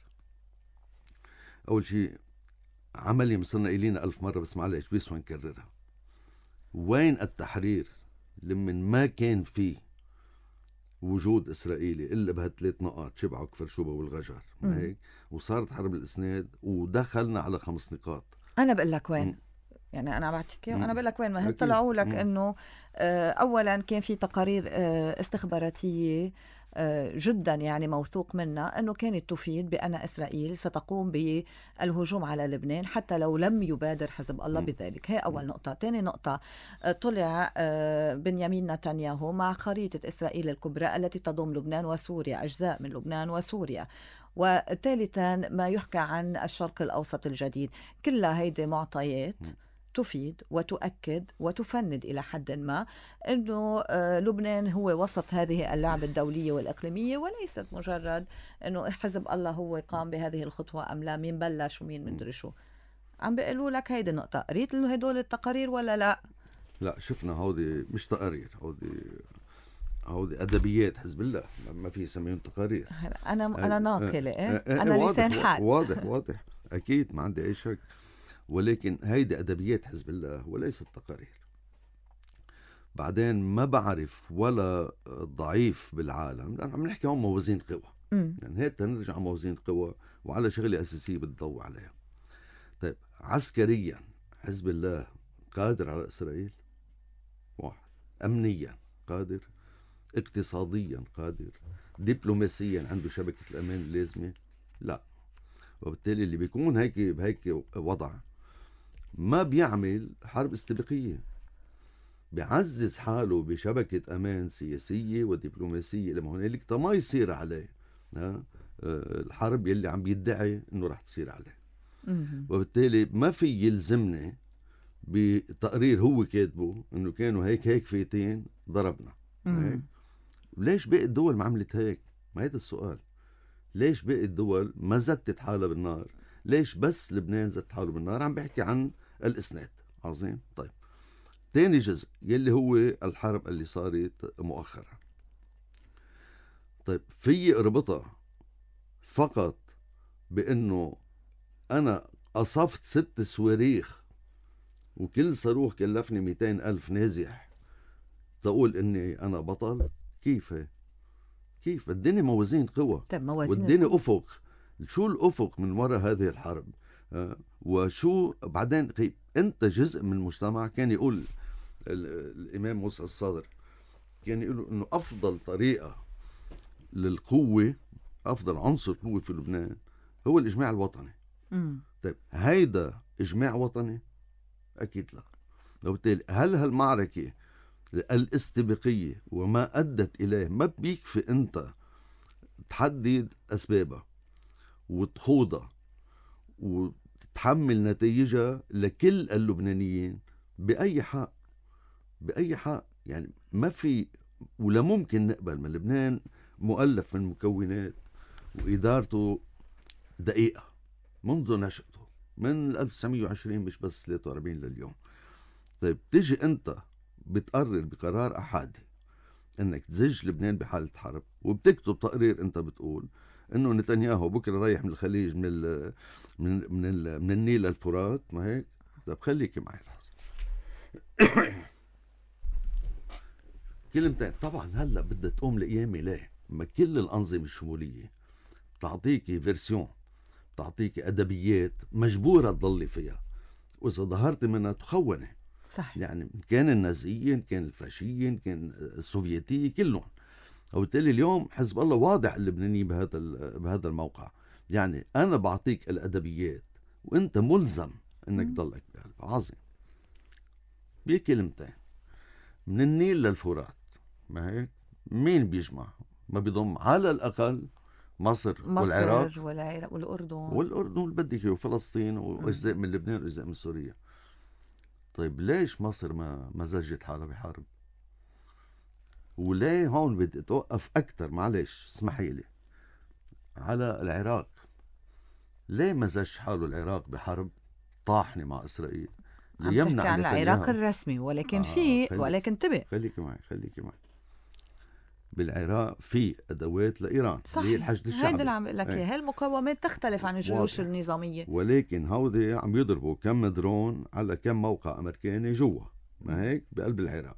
Speaker 2: أول شيء عملي مصرنا إلينا ألف مرة، بس معلش بيسوى نكررها. وين التحرير لمن ما كان فيه وجود إسرائيلي إلا بهالثلاث نقاط، شبعة وكفر شوبة والغجر، ما هيك؟ وصارت حرب الإسناد ودخلنا على خمس نقاط.
Speaker 1: أنا بقول لك وين، م. يعني أنا بعتك وأنا بقول لك وين. ما طلعوا لك إنه أولا كان في تقارير استخباراتية جدا يعني موثوق منها أنه كانت تفيد بأن إسرائيل ستقوم بالهجوم على لبنان حتى لو لم يبادر حزب الله بذلك. هي أول نقطة. تاني نقطة، طلع بنيامين نتنياهو مع خريطة إسرائيل الكبرى التي تضم لبنان وسوريا، أجزاء من لبنان وسوريا. وثالثا ما يحكى عن الشرق الأوسط الجديد. كلها هيدي معطيات تفيد وتؤكد وتفند إلى حد ما أنه لبنان هو وسط هذه اللعبة الدولية والإقليمية، وليست مجرد أنه حزب الله هو قام بهذه الخطوة أم لا، مين بلش ومين مدري شو. عم بيقولوا لك هيدي النقطة. قريت له هدول التقارير ولا لا؟
Speaker 2: لا شفنا، هودي مش تقارير، هودي هودي أدبيات حزب الله، ما في يسميهم تقارير.
Speaker 1: أنا أنا ناقلة، أنا لسان حال.
Speaker 2: واضح واضح أكيد، ما عندي أي شك، ولكن هيدي أدبيات حزب الله وليست تقارير. بعدين ما بعرف ولا ضعيف بالعالم، لأن عم نحكي عن موازين قوى، يعني هيك نرجع على موازين قوى وعلى شغلة أساسية بتضوي عليها. طيب عسكريا حزب الله قادر على إسرائيل؟ واحد. أمنيا قادر؟ اقتصاديا قادر؟ دبلوماسيا عنده شبكة الأمان اللازمة؟ لا. وبالتالي اللي بيكون هيك بهيك وضع ما بيعمل حرب استباقية، بيعزز حاله بشبكة أمان سياسية ودبلوماسية لما هنالك ما يصير عليه الحرب يلي عم بيدعي إنه رح تصير عليه. وبالتالي ما في يلزمني بتقرير هو كاتبه إنه كانوا هيك هيك فيتين ضربنا هيك. ليش باقي الدول ما عملت هيك؟ ما هذا السؤال. ليش باقي الدول ما زتت حالها بالنار؟ ليش بس لبنان زت حاله بالنار؟ عم بحكي عن الإسناد. عظيم. طيب تاني جزء يلي هو الحرب اللي صارت مؤخرا. طيب في اربطها فقط بأنه أنا قصفت ست صواريخ وكل صاروخ كلفني مئتين ألف نازح تقول إني أنا بطل؟ كيف هي؟ كيف الدنيا موازين قوى،
Speaker 1: طيب موازين
Speaker 2: والدنيا
Speaker 1: القوى.
Speaker 2: أفق. شو الأفق من وراء هذه الحرب؟ آه، وشو بعدين قيب أنت جزء من المجتمع. كان يقول الإمام موسى الصادر، كان يقول إنه أفضل طريقة للقوة، أفضل عنصر قوة في لبنان هو الإجماع الوطني.
Speaker 1: مم.
Speaker 2: طيب هيدا إجماع وطني؟ أكيد لا. وبالتالي هل هالمعركة الاستباقية وما أدت إليه ما بيكفي أنت تحدد أسبابها وتخوضها وتتحمل نتائجها لكل اللبنانيين بأي حق؟ بأي حق؟ يعني ما في ولا ممكن نقبل من لبنان مؤلف من مكونات وإدارته دقيقة منذ نشأته من ألف وتسعمية وعشرين مش بس ثلاثة وأربعين لليوم. طيب تيجي أنت بتقرر بقرار أحادي انك تزج لبنان بحالة حرب، وبتكتب تقرير انت بتقول انه نتنياهو بكره رايح من الخليج من ال من من, ال من النيل للفرات، ما هيك؟ طيب خليكي معي لحظة. كلمتين. طبعا هلا بدها تقوم لقيامي ليه؟ ما كل الأنظمة الشمولية بتعطيكي فيرسيون، بتعطيكي أدبيات مجبورة تضلي فيها، وإذا ظهرت منها تخوني.
Speaker 1: صح.
Speaker 2: يعني كان النازيين، كان الفاشيين، كان السوفيتية، كلهم. وبالتالي اليوم حزب الله واضح اللبنانيين بهذا بهذا الموقع. يعني أنا بعطيك الأدبيات وأنت ملزم أنك تضلك بقلب. عظيم. بكلمتين، من النيل للفرات، ما هيك؟ مين بيجمع؟ ما بيضم على الأقل مصر,
Speaker 1: مصر
Speaker 2: والعراق
Speaker 1: والعراق والأردن
Speaker 2: والأردن اللي بدك إياه، وفلسطين وأجزاء من لبنان وأجزاء من سوريا. طيب ليش مصر ما ما زجت حالها بحرب؟ وليه هون بدي اتوقف اكثر، معلش اسمحي لي، على العراق. ليه ما زج حاله العراق بحرب طاحنه مع اسرائيل
Speaker 1: ليمنع عن العراق الرسمي؟ ولكن آه في خليك ولكن انتبه،
Speaker 2: خليكي معي خليكي معي بالعراق في ادوات لايران اللي هي الحشد الشعبي.
Speaker 1: هيدا اللي عم بقول لك اياه. هالمقاومات تختلف عن الجيوش النظاميه،
Speaker 2: ولكن هودي عم يضربوا كم درون على كم موقع امريكاني جوا، ما هيك؟ بقلب العراق.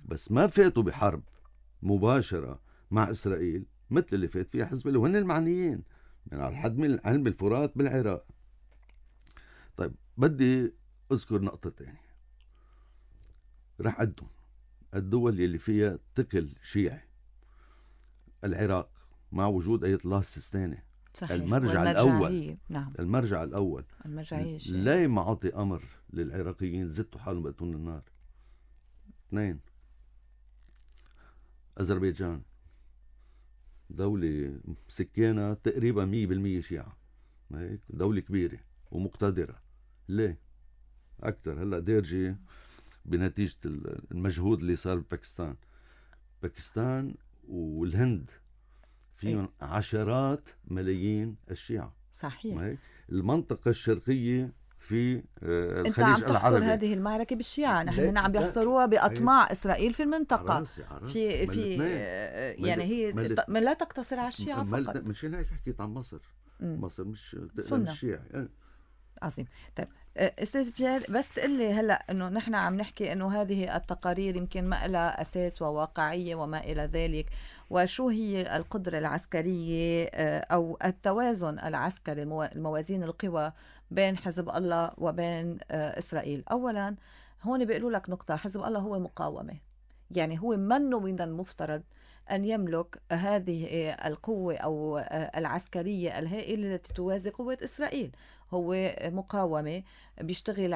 Speaker 2: بس ما فاتوا بحرب مباشره مع اسرائيل مثل اللي فات فيها حزب الله، وهن المعنيين من على الحد من علم الفرات بالعراق. طيب بدي اذكر نقطه ثانيه. رح أدهم الدول اللي فيها ثقل شيعي. العراق مع وجود آية الله السيستاني،
Speaker 1: صحيح.
Speaker 2: المرجع الأول.
Speaker 1: نعم.
Speaker 2: المرجع الأول
Speaker 1: المرجعية
Speaker 2: لا ما عطي أمر للعراقيين زتوا حالهم بقتون النار. اثنين، أذربيجان دولة سكانها تقريبا مية بالمية شيعة، دولة كبيرة ومقتدرة. ليه؟ أكتر هلأ ديرجي بنتيجة المجهود اللي صار بباكستان. باكستان والهند فيهم إيه؟ عشرات ملايين الشيعة.
Speaker 1: صحيح.
Speaker 2: المنطقة الشرقية في الخليج
Speaker 1: انت عم تحصر
Speaker 2: العربي
Speaker 1: هذه المعركة بالشيعة، نحن هنا عم بيحصروها بأطماع هي. إسرائيل في المنطقة.
Speaker 2: عراسي عراسي.
Speaker 1: في في يعني هي ما لا تقتصر على الشيعة فقط.
Speaker 2: مشان هيك حكيت عن مصر. م. مصر مش الشيعة. اه.
Speaker 1: عظيم. طيب استاذ بيير، بس تقلي هلا انه نحن عم نحكي انه هذه التقارير يمكن ما لها اساس وواقعيه وما الى ذلك، وشو هي القدره العسكريه او التوازن العسكري، الموازين القوى بين حزب الله وبين اسرائيل. اولا هون بيقولوا لك نقطه، حزب الله هو مقاومه، يعني هو منه من المفترض أن يملك هذه القوة أو العسكرية الهائلة التي توازي قوة إسرائيل. هو مقاومة بيشتغل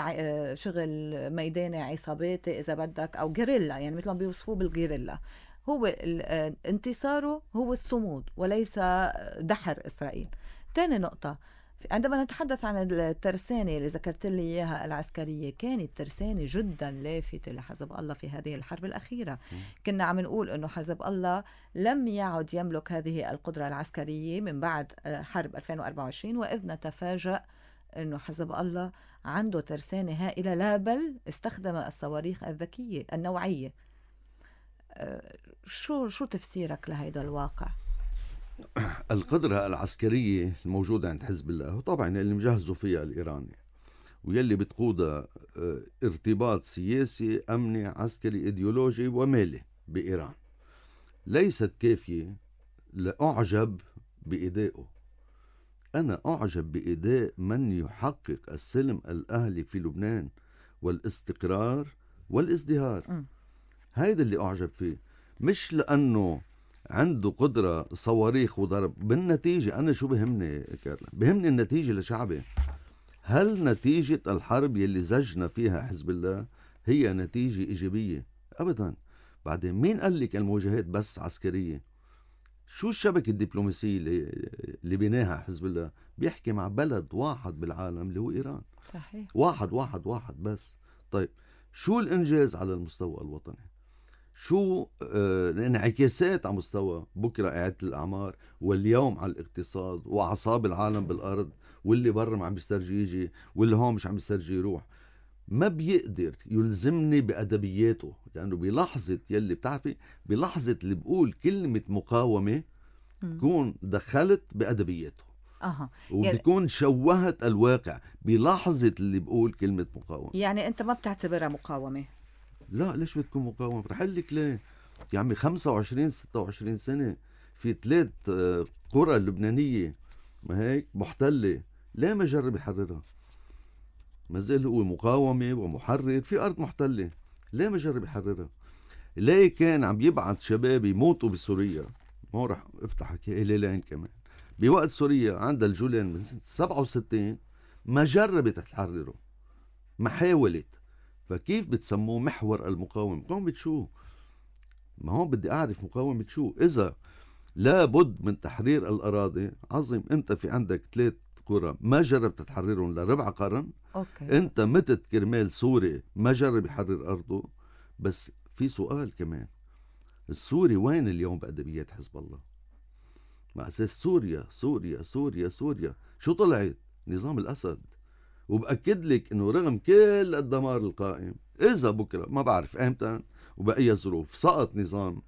Speaker 1: شغل ميداني عصاباتي إذا بدك، أو جيريلا، يعني مثل ما بيوصفوه بالجيريلا. هو انتصاره هو الصمود وليس دحر إسرائيل. ثاني نقطة، عندما نتحدث عن الترسانة اللي ذكرت لي إياها العسكرية، كانت ترسانة جدا لافتة لحزب الله في هذه الحرب الأخيرة. كنا عم نقول أنه حزب الله لم يعد يملك هذه القدرة العسكرية من بعد حرب ألفين وأربعة وعشرين، وإذ نتفاجأ أنه حزب الله عنده ترسانة هائلة، لا بل استخدم الصواريخ الذكية النوعية. شو شو تفسيرك لهذا الواقع؟
Speaker 2: القدرة العسكرية الموجودة عند حزب الله، وطبعا اللي مجهزوا فيها الإيراني ويلي بتقودها ارتباط سياسي أمني عسكري إيديولوجي ومالي بإيران، ليست كافية لأعجب بإدائه. أنا أعجب بإداء من يحقق السلم الأهلي في لبنان والاستقرار والازدهار.
Speaker 1: م.
Speaker 2: هيدا اللي أعجب فيه، مش لأنه عنده قدرة صواريخ وضرب. بالنتيجة أنا شو بهمني كارلا؟ بهمني النتيجة لشعبي. هل نتيجة الحرب يلي زجنا فيها حزب الله هي نتيجة إيجابية؟ أبدا. بعدين مين قال لك المواجهات بس عسكرية؟ شو الشبكة الدبلوماسية اللي, اللي بناها حزب الله؟ بيحكي مع بلد واحد بالعالم اللي هو إيران.
Speaker 1: صحيح.
Speaker 2: واحد واحد واحد بس. طيب شو الإنجاز على المستوى الوطني؟ شو آه الانعكاسات على مستوى بكرة إعادة الأعمار واليوم على الاقتصاد وأعصاب العالم بالأرض، واللي برا ما عم بيسترجي يجي واللي هون مش عم بيسترجي يروح؟ ما بيقدر يلزمني بأدبياته، لأنه بلحظة يلي بتعرفي بلحظة اللي بقول كلمة مقاومة بكون دخلت بأدبياته.
Speaker 1: أها.
Speaker 2: وبيكون شوهت الواقع بلحظة اللي بقول كلمة مقاومة.
Speaker 1: يعني أنت ما بتعتبرها مقاومة؟
Speaker 2: لا، ليش بتكون مقاومة؟ رح لك ليه. يا عمي خمسة وعشرين ستة وعشرين سنة في ثلاث قرى لبنانية ما هيك محتلة، ليه ما جرب يحررها؟ ما زال هو مقاومة ومحرر في أرض محتلة، ليه ما جرب يحررها؟ ليه كان عم يبعث شباب يموتوا بسوريا؟ ما رح افتح هلالين كمان بوقت سوريا عندها الجولان من سنة سبعة وستين ما جربت تحرره، ما حاولت. فكيف بتسموه محور المقاومة؟ مقاومة شو؟ ما هون بدي أعرف مقاومة شو. إذا لابد من تحرير الأراضي، عظيم. أنت في عندك ثلاث قرى ما جربت تحررهم لربع قرن.
Speaker 1: أوكي.
Speaker 2: أنت متت كرمال سوري ما جرب يحرر أرضه. بس في سؤال كمان، السوري وين اليوم بأدبيات حزب الله؟ مع أساس سوريا سوريا سوريا سوريا شو طلعت؟ نظام الأسد. وبأكد لك إنه رغم كل الدمار القائم، إذا بكرة ما بعرف إمتى وبأي ظروف سقط نظام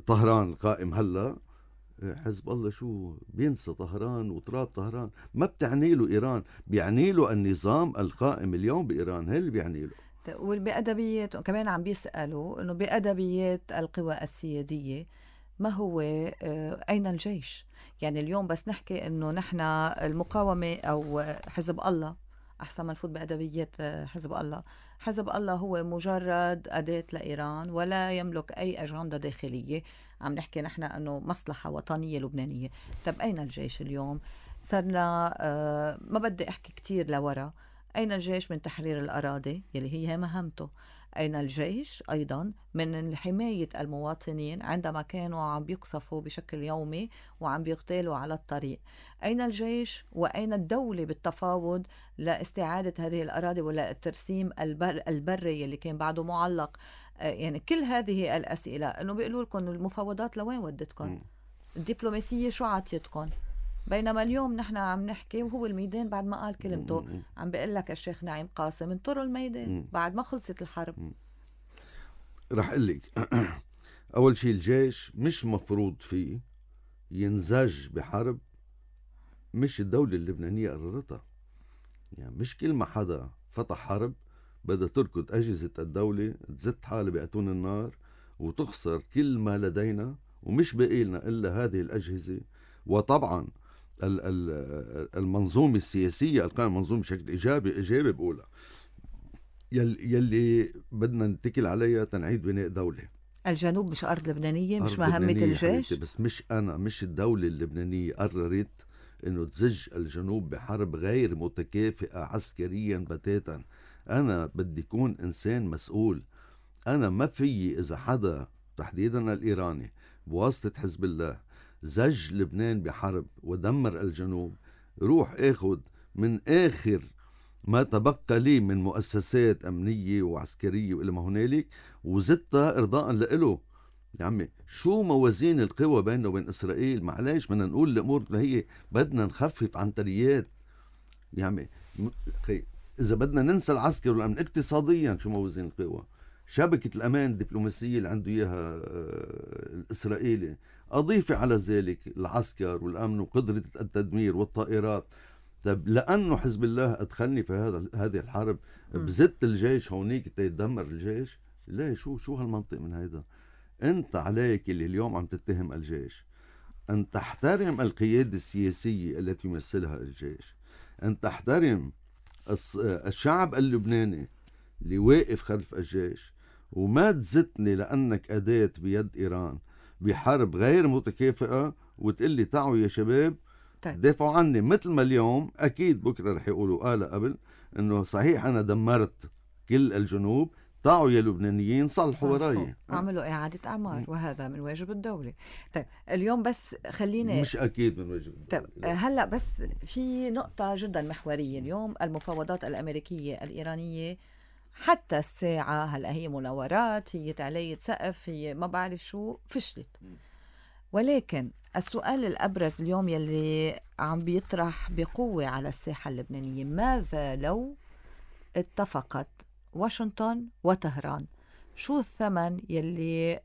Speaker 2: طهران القائم هلا، حزب الله شو بينسى طهران وتراب طهران. ما بتعني له إيران، بيعني له النظام القائم اليوم بإيران، هي اللي بيعني له.
Speaker 1: وبأدبيات كمان عم بيسألوا إنه بأدبيات القوى السيادية ما هو أين الجيش؟ يعني اليوم بس نحكي إنه نحن المقاومة أو حزب الله، أحسن ما نفوت بأدبيات حزب الله. حزب الله هو مجرد أداة لإيران ولا يملك أي أجندة داخلية. عم نحكي نحن أنه مصلحة وطنية لبنانية. طب أين الجيش اليوم؟ صرنا آه ما بدي أحكي كتير لورا. أين الجيش من تحرير الأراضي يلي هي مهمته؟ أين الجيش أيضا من حماية المواطنين عندما كانوا عم بيقصفوا بشكل يومي وعم بيغتالوا على الطريق؟ أين الجيش وأين الدولة بالتفاوض لاستعادة هذه الأراضي ولا الترسيم البر البري اللي كان بعده معلق؟ يعني كل هذه الأسئلة إنه بيقولوا لكم المفاوضات لوين ودتكم؟ الدبلوماسية شو عطيتكم؟ بينما اليوم نحن عم نحكي وهو الميدان بعد ما قال كلمته عم بيقول لك الشيخ نعيم قاسم انطروا الميدان بعد ما خلصت الحرب.
Speaker 2: رح اقول لك اول شيء الجيش مش مفروض فيه ينزج بحرب مش الدولة اللبنانية قررتها. يعني مش كل ما حدا فتح حرب بدها تركض أجهزة الدولة تزت حالها بأتون النار وتخسر كل ما لدينا ومش باقي لنا إلا هذه الأجهزة. وطبعا المنظومة السياسية القائمة منظومة بشكل إيجابي إيجابي بقولها يلي, يلي بدنا نتكل عليها تنعيد بناء دولة.
Speaker 1: الجنوب مش أرض لبنانية، مش
Speaker 2: أرض
Speaker 1: مهمة
Speaker 2: لبنانية
Speaker 1: الجيش.
Speaker 2: بس مش أنا مش الدولة اللبنانية قررت إنه تزج الجنوب بحرب غير متكافئة عسكريا بتاتا. أنا بدي يكون إنسان مسؤول. أنا ما في إذا حدا تحديدا الإيراني بواسطة حزب الله زج لبنان بحرب ودمر الجنوب، روح اخد من آخر ما تبقى لي من مؤسسات أمنية وعسكرية وإلى ما هنالك وزدتها إرضاء لإله. يا عمي شو موازين القوى بيننا وبين إسرائيل؟ معلش بدنا نقول الأمور ما هي بدنا نخفف عنتريات. يا عمي إذا بدنا ننسى العسكر والأمن اقتصاديا شو موازين القوى؟ شبكة الأمان الدبلوماسية اللي عنده إياها الإسرائيلي، أضيف على ذلك العسكر والأمن وقدرة التدمير والطائرات. طب لأنه حزب الله أدخلني في هذا هذه الحرب بزت الجيش هونيك تيدمر الجيش؟ لا، شو شو هالمنطق من هيدا؟ أنت عليك اللي اليوم عم تتهم الجيش أن تحترم القيادة السياسية التي يمثلها الجيش، أن تحترم الشعب اللبناني اللي واقف خلف الجيش، وما تزتني لأنك أداة بيد إيران بحرب غير متكافئة وتقلي تعوا يا شباب
Speaker 1: طيب.
Speaker 2: دافعوا عني. مثل ما اليوم أكيد بكرة رح يقولوا قال قبل أنه صحيح أنا دمرت كل الجنوب، تعوا يا لبنانيين صلحوا وراي،
Speaker 1: عملوا إعادة أعمار، وهذا من واجب الدولة. طيب اليوم بس خليني
Speaker 2: مش أكيد من واجب الدولة.
Speaker 1: طيب هلأ بس في نقطة جدا محورية. اليوم المفاوضات الأمريكية الإيرانية حتى الساعة هلأ هي مناورات، هي تعلية سقف، هي ما بعرف شو، فشلت. ولكن السؤال الأبرز اليوم يلي عم بيطرح بقوة على الساحة اللبنانية، ماذا لو اتفقت واشنطن وطهران؟ شو الثمن يلي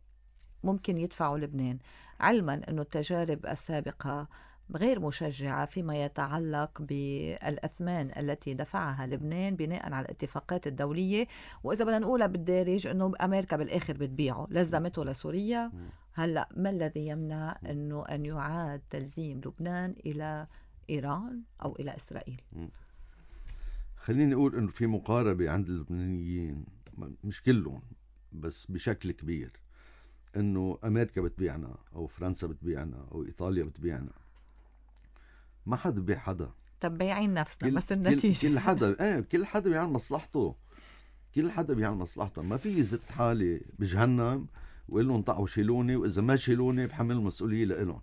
Speaker 1: ممكن يدفعه لبنان، علما أنه التجارب السابقة غير مشجعة فيما يتعلق بالأثمان التي دفعها لبنان بناء على الاتفاقات الدولية، وإذا بدنا نقولها بالدارج أنه أمريكا بالآخر بتبيعه، لزمته لسوريا. هلأ ما الذي يمنع أنه أن يعاد تلزيم لبنان إلى إيران أو إلى إسرائيل؟
Speaker 2: خليني أقول أنه في مقاربة عند اللبنانيين، مش كلهم بس بشكل كبير، أنه أمريكا بتبيعنا أو فرنسا بتبيعنا أو إيطاليا بتبيعنا. ما حدا بيع حدا.
Speaker 1: طب بيعين نفسنا
Speaker 2: كل
Speaker 1: بس النتيجة
Speaker 2: كل, كل حدا ايه كل حدا بيعمل مصلحته، كل حدا بيعمل مصلحته. ما في زت حالي بجهنم وقال لهم طعوا شيلوني، وإذا ما شيلوني بحمل المسؤولية لإلهم.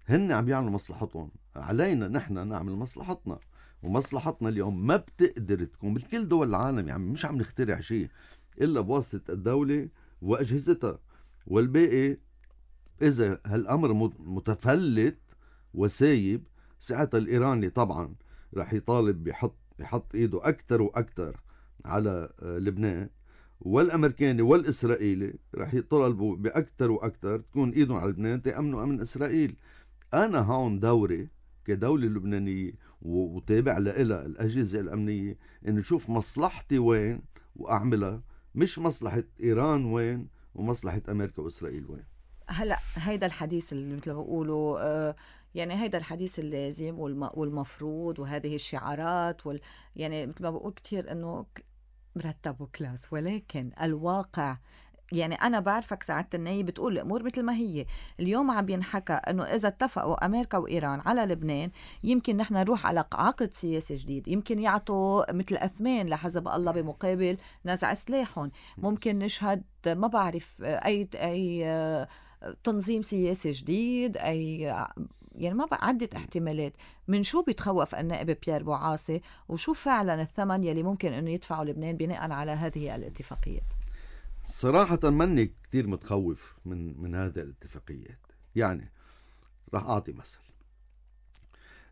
Speaker 2: هن عم يعملوا مصلحتهم، علينا نحن نعمل مصلحتنا. ومصلحتنا اليوم ما بتقدر تكون مثل كل دول العالم، يعني مش عم نخترع شيء إلا بواسطة الدولة وأجهزتها، والباقي إذا هالأمر متفلت وسايب ساعتها الإيراني طبعا رح يطالب بحط يحط إيده أكتر وأكتر على لبنان، والأمريكاني والإسرائيلي رح يطالبوا بأكتر وأكتر تكون إيدهم على لبنان تأمنوا أمن إسرائيل. أنا هون دوري كدولة لبنانية وتابع لها الأجهزة الأمنية إن نشوف مصلحتي وين وأعملها، مش مصلحة إيران وين ومصلحة أمريكا وإسرائيل وين.
Speaker 1: هلأ هيدا الحديث اللي مثل ما بقولوا آه يعني هيدا الحديث اللازم والمفروض، وهذه الشعارات وال يعني مثل ما بقول كتير إنه مرتب وكلاس، ولكن الواقع يعني أنا بعرفك سعادة النايب بتقول الأمور مثل ما هي. اليوم عم بينحكى أنه إذا اتفقوا أمريكا وإيران على لبنان يمكن نحن نروح على عقد سياسي جديد، يمكن يعطوا مثل أثمان لحزب الله بمقابل نزع سلاحهم، ممكن نشهد ما بعرف أي أي تنظيم سياسي جديد، أي يعني ما بقى عدة احتمالات. من شو بيتخوف النائب بيير بوعاصي، وشو فعلا الثمن يلي ممكن أنه يدفعه لبنان بناء على هذه الاتفاقيات؟
Speaker 2: صراحة ماني كتير متخوف من من هذه الاتفاقيات. يعني راح أعطي مثل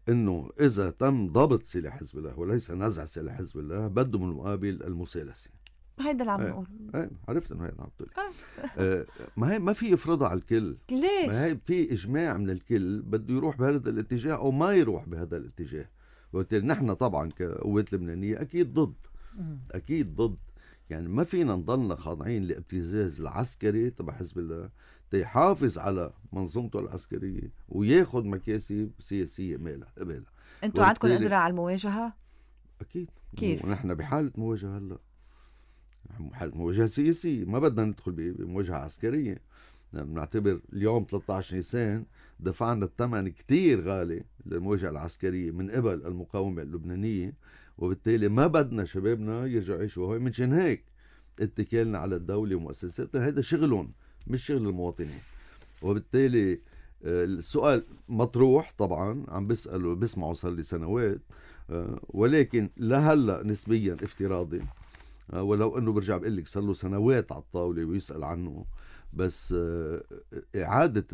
Speaker 2: إنه إذا تم ضبط سلاح حزب الله وليس نزع سلاح حزب الله بده من المقابل المسالسة.
Speaker 1: هيدا اللي عم نقول.
Speaker 2: ايه عرفت إنه هيدا عم تقول. آه ما هي ما في يفرضها على الكل.
Speaker 1: ليش؟
Speaker 2: ما هي في إجماع من الكل بده يروح بهذا الاتجاه أو ما يروح بهذا الاتجاه. وبالتالي نحن طبعا كقوات لبنانية أكيد ضد. أكيد ضد. يعني ما فينا نضلنا خاضعين لابتزاز العسكري تبع حزب الله تيحافظ على منظومته العسكرية وياخد مكاسب سياسية مالها قبالها.
Speaker 1: انتوا عندكم قدرة على المواجهة؟
Speaker 2: أكيد.
Speaker 1: كيف؟
Speaker 2: ونحن بحالة مواجهة هلا، مواجهة سياسية، ما بدنا ندخل بمواجهة عسكرية. نعتبر اليوم ثلاثة عشر نيسان دفعنا الثمن كتير غالي للمواجهة العسكرية من قبل المقاومة اللبنانية، وبالتالي ما بدنا شبابنا يرجعوا يعيشوا هون. منشان هيك اتكالنا على الدولة ومؤسساتها، هذا شغلهم مش شغل المواطنين. وبالتالي السؤال مطروح طبعا، عم بسأله بسمعه صار لي سنوات، ولكن لهلا نسبيا افتراضي، ولو انه برجع بقول لك صار له سنوات على الطاولة ويسأل عنه. بس إعادة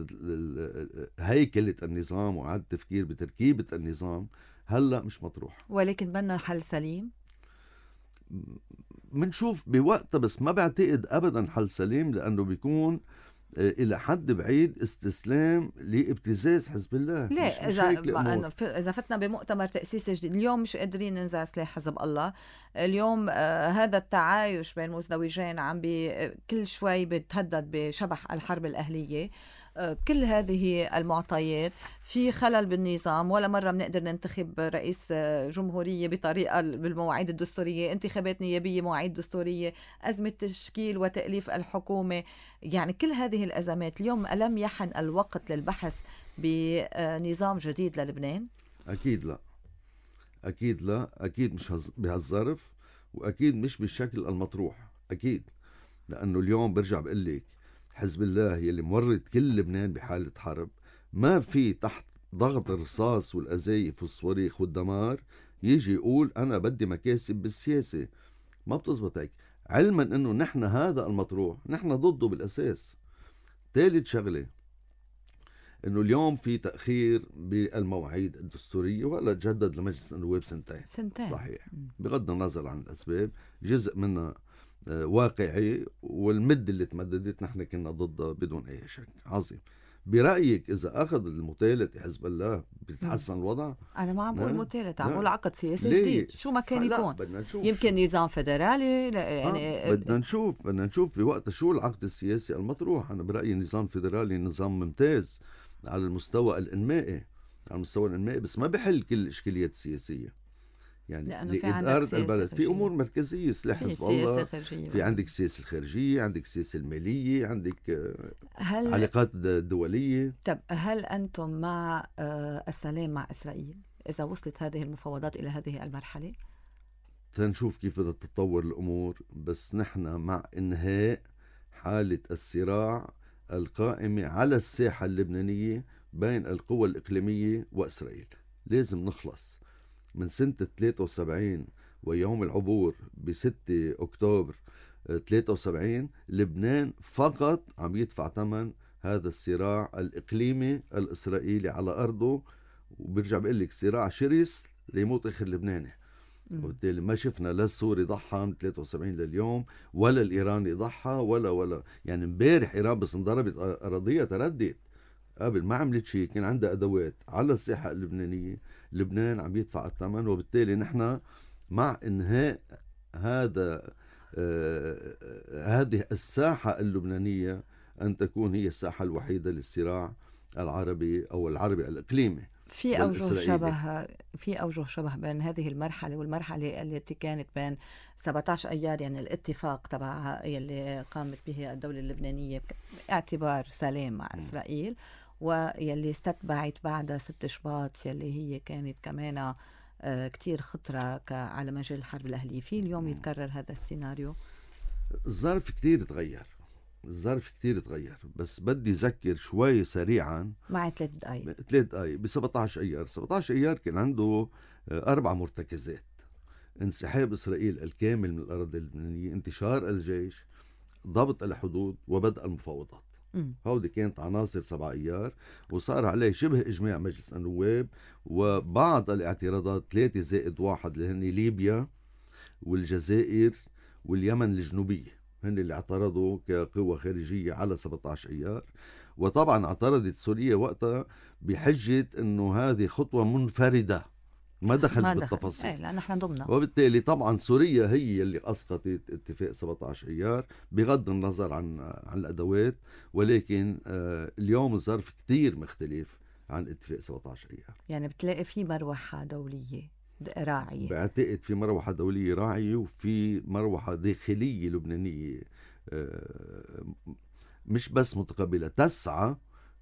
Speaker 2: هيكلة النظام وإعادة التفكير بتركيبة النظام هلا مش مطروح.
Speaker 1: ولكن بدنا حل سليم.
Speaker 2: منشوف بوقتها، بس ما بعتقد ابدا حل سليم، لانه بيكون إلى حد بعيد استسلام لابتزاز حزب الله. مش
Speaker 1: ليه
Speaker 2: مش
Speaker 1: اذا
Speaker 2: هيك
Speaker 1: ما
Speaker 2: الأمور.
Speaker 1: أنه في- اذا فتنا بمؤتمر تاسيسي جديد اليوم مش قادرين ننزع سلاح حزب الله اليوم. آه هذا التعايش بين مزدوجين عم بي كل شوي بتهدد بشبح الحرب الاهليه. آه كل هذه المعطيات في خلل بالنظام. ولا مره بنقدر ننتخب رئيس آه، جمهوريه بطريقه بالمواعيد الدستوريه، انتخابات نيابيه مواعيد دستوريه، ازمه تشكيل وتاليف الحكومه. يعني كل هذه الازمات اليوم ألم يحن الوقت للبحث بنظام جديد للبنان؟
Speaker 2: أكيد لا، أكيد لا، أكيد مش هز- بهالظرف، وأكيد مش بالشكل المطروح. أكيد لأنه اليوم برجع بقول لك حزب الله يلي مورد كل لبنان بحالة حرب، ما في تحت ضغط الرصاص والأزايف والصواريخ والدمار يجي يقول أنا بدي مكاسب بالسياسة. ما بتزبط هيك، علما أنه نحن هذا المطروح نحن ضده بالأساس. ثالث شغلة انه اليوم في تاخير بالمواعيد الدستوريه، وهلا تجدد لمجلس النواب سنتين.
Speaker 1: سنتين
Speaker 2: صحيح، بغض النظر عن الاسباب جزء منها آه، واقعي، والمده اللي تمددت نحن كنا ضدها بدون اي شك. عظيم. برايك اذا اخذ المتالت حزب الله بيتحسن الوضع؟
Speaker 1: انا ما عم بقول
Speaker 2: لا.
Speaker 1: متالت، عم
Speaker 2: لا.
Speaker 1: بقول عقد سياسي
Speaker 2: ليه؟
Speaker 1: جديد شو ما كان
Speaker 2: لا،
Speaker 1: يكون.
Speaker 2: بدنا نشوف.
Speaker 1: يمكن نظام فيدرالي لا،
Speaker 2: يعني
Speaker 1: يعني
Speaker 2: آه بدنا نشوف بدنا نشوف بوقتها شو العقد السياسي المطروح. انا برايي نظام فيدرالي نظام ممتاز على المستوى الانمائي، على المستوى الانمائي، بس ما بحل كل الاشكاليات السياسيه. يعني
Speaker 1: لأنه في عندك
Speaker 2: لإدارة
Speaker 1: سياسة
Speaker 2: البلد في
Speaker 1: خارجية.
Speaker 2: امور مركزيه، سلاح
Speaker 1: في
Speaker 2: حزب
Speaker 1: سياسة
Speaker 2: الله،
Speaker 1: خارجية
Speaker 2: في عندك السياسه الخارجيه، عندك السياسه الماليه، عندك آه،
Speaker 1: هل
Speaker 2: العلاقات الدوليه.
Speaker 1: طب هل أنتم مع آه، السلام مع إسرائيل إذا وصلت هذه المفاوضات إلى هذه المرحلة؟
Speaker 2: تنشوف كيف بدها تتطور الأمور، بس نحن مع إنهاء حالة الصراع القائمة على الساحة اللبنانية بين القوى الإقليمية وإسرائيل. لازم نخلص من سنة ثلاثة وسبعين ويوم العبور بستة أكتوبر ثلاثة وسبعين. لبنان فقط عم يدفع ثمن هذا الصراع الإقليمي الإسرائيلي على أرضه، وبرجع بقول لك صراع شرس ليموت آخر لبناني. وبالتالي ما شفنا لا السوري ضحى من ثلاثة وسبعين لليوم، ولا الإيراني ضحى، ولا ولا يعني امبارح إيران بس انضربت أراضيها تردت، قبل ما عملت شيء، كان عندها أدوات على الساحة اللبنانية. لبنان عم يدفع الثمن، وبالتالي نحن مع إنهاء هذا آه هذه الساحة اللبنانية أن تكون هي الساحة الوحيدة للصراع العربي أو العربي الإقليمي.
Speaker 1: في أوجه
Speaker 2: والإسرائيلي.
Speaker 1: شبه في أوجه شبه بين هذه المرحلة والمرحلة التي كانت بين سبعة عشر أيار، يعني الاتفاق تبع يلي قامت به الدولة اللبنانية باعتبار سلام مع
Speaker 2: م.
Speaker 1: إسرائيل، ويلي استتبعت بعد ست شباط يلي هي كانت كمان آه، كتير خطرة ك- على مجال الحرب الأهلية. في اليوم يتكرر هذا السيناريو؟
Speaker 2: الظرف كتير تغير، الظرف كتير تغير، بس بدي أذكر شوي سريعا.
Speaker 1: مع ثلاث دقايق.
Speaker 2: ثلاث دقايق ب سبعة عشر أيار. سبعة عشر أيار كان عنده آه، أربع مرتكزات: انسحاب إسرائيل الكامل من الأراضي اللبنانية، انتشار الجيش، ضبط الحدود، وبدء المفاوضات.
Speaker 1: مم.
Speaker 2: هودي كانت عناصر سبع أيار، وصار عليه شبه إجماع مجلس النواب، وبعض الاعتراضات ثلاثة زائد واحد اللي هن ليبيا والجزائر واليمن الجنوبية، هن اللي اعترضوا كقوة خارجية على سبعة عشر أيار. وطبعا اعترضت سوريا وقتها بحجة انه هذه خطوة منفردة، ما دخلت
Speaker 1: ما دخل.
Speaker 2: بالتفاصيل.
Speaker 1: ايه لأن نحن ضمنا.
Speaker 2: وبالتالي طبعا سوريا هي اللي اسقطت اتفاق سبعة عشر ايار بغض النظر عن عن الادوات، ولكن آه اليوم الظرف كتير مختلف عن اتفاق سبعة عشر ايار.
Speaker 1: يعني بتلاقي في مروحة دولية راعية.
Speaker 2: بعتقد في مروحة دولية راعية، وفي مروحة داخلية لبنانية آه مش بس متقبلة، تسعى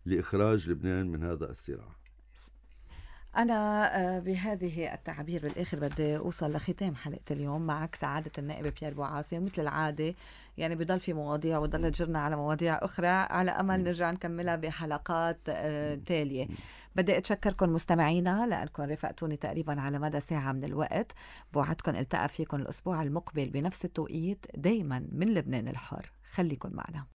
Speaker 2: لإخراج لبنان من هذا الصراع.
Speaker 1: أنا بهذه التعابير بالآخر بدي أوصل لختام حلقة اليوم معك سعادة النائب بيير بوعاصي. مثل العادة يعني بضل في مواضيع وضل تجرنا على مواضيع أخرى، على أمل نرجع نكملها بحلقات تالية. بدي أتشكركم مستمعينا لأنكم رفقتوني تقريبا على مدى ساعة من الوقت. بوعدكم التقى فيكم الأسبوع المقبل بنفس التوقيت، دايما من لبنان الحر. خليكن معنا.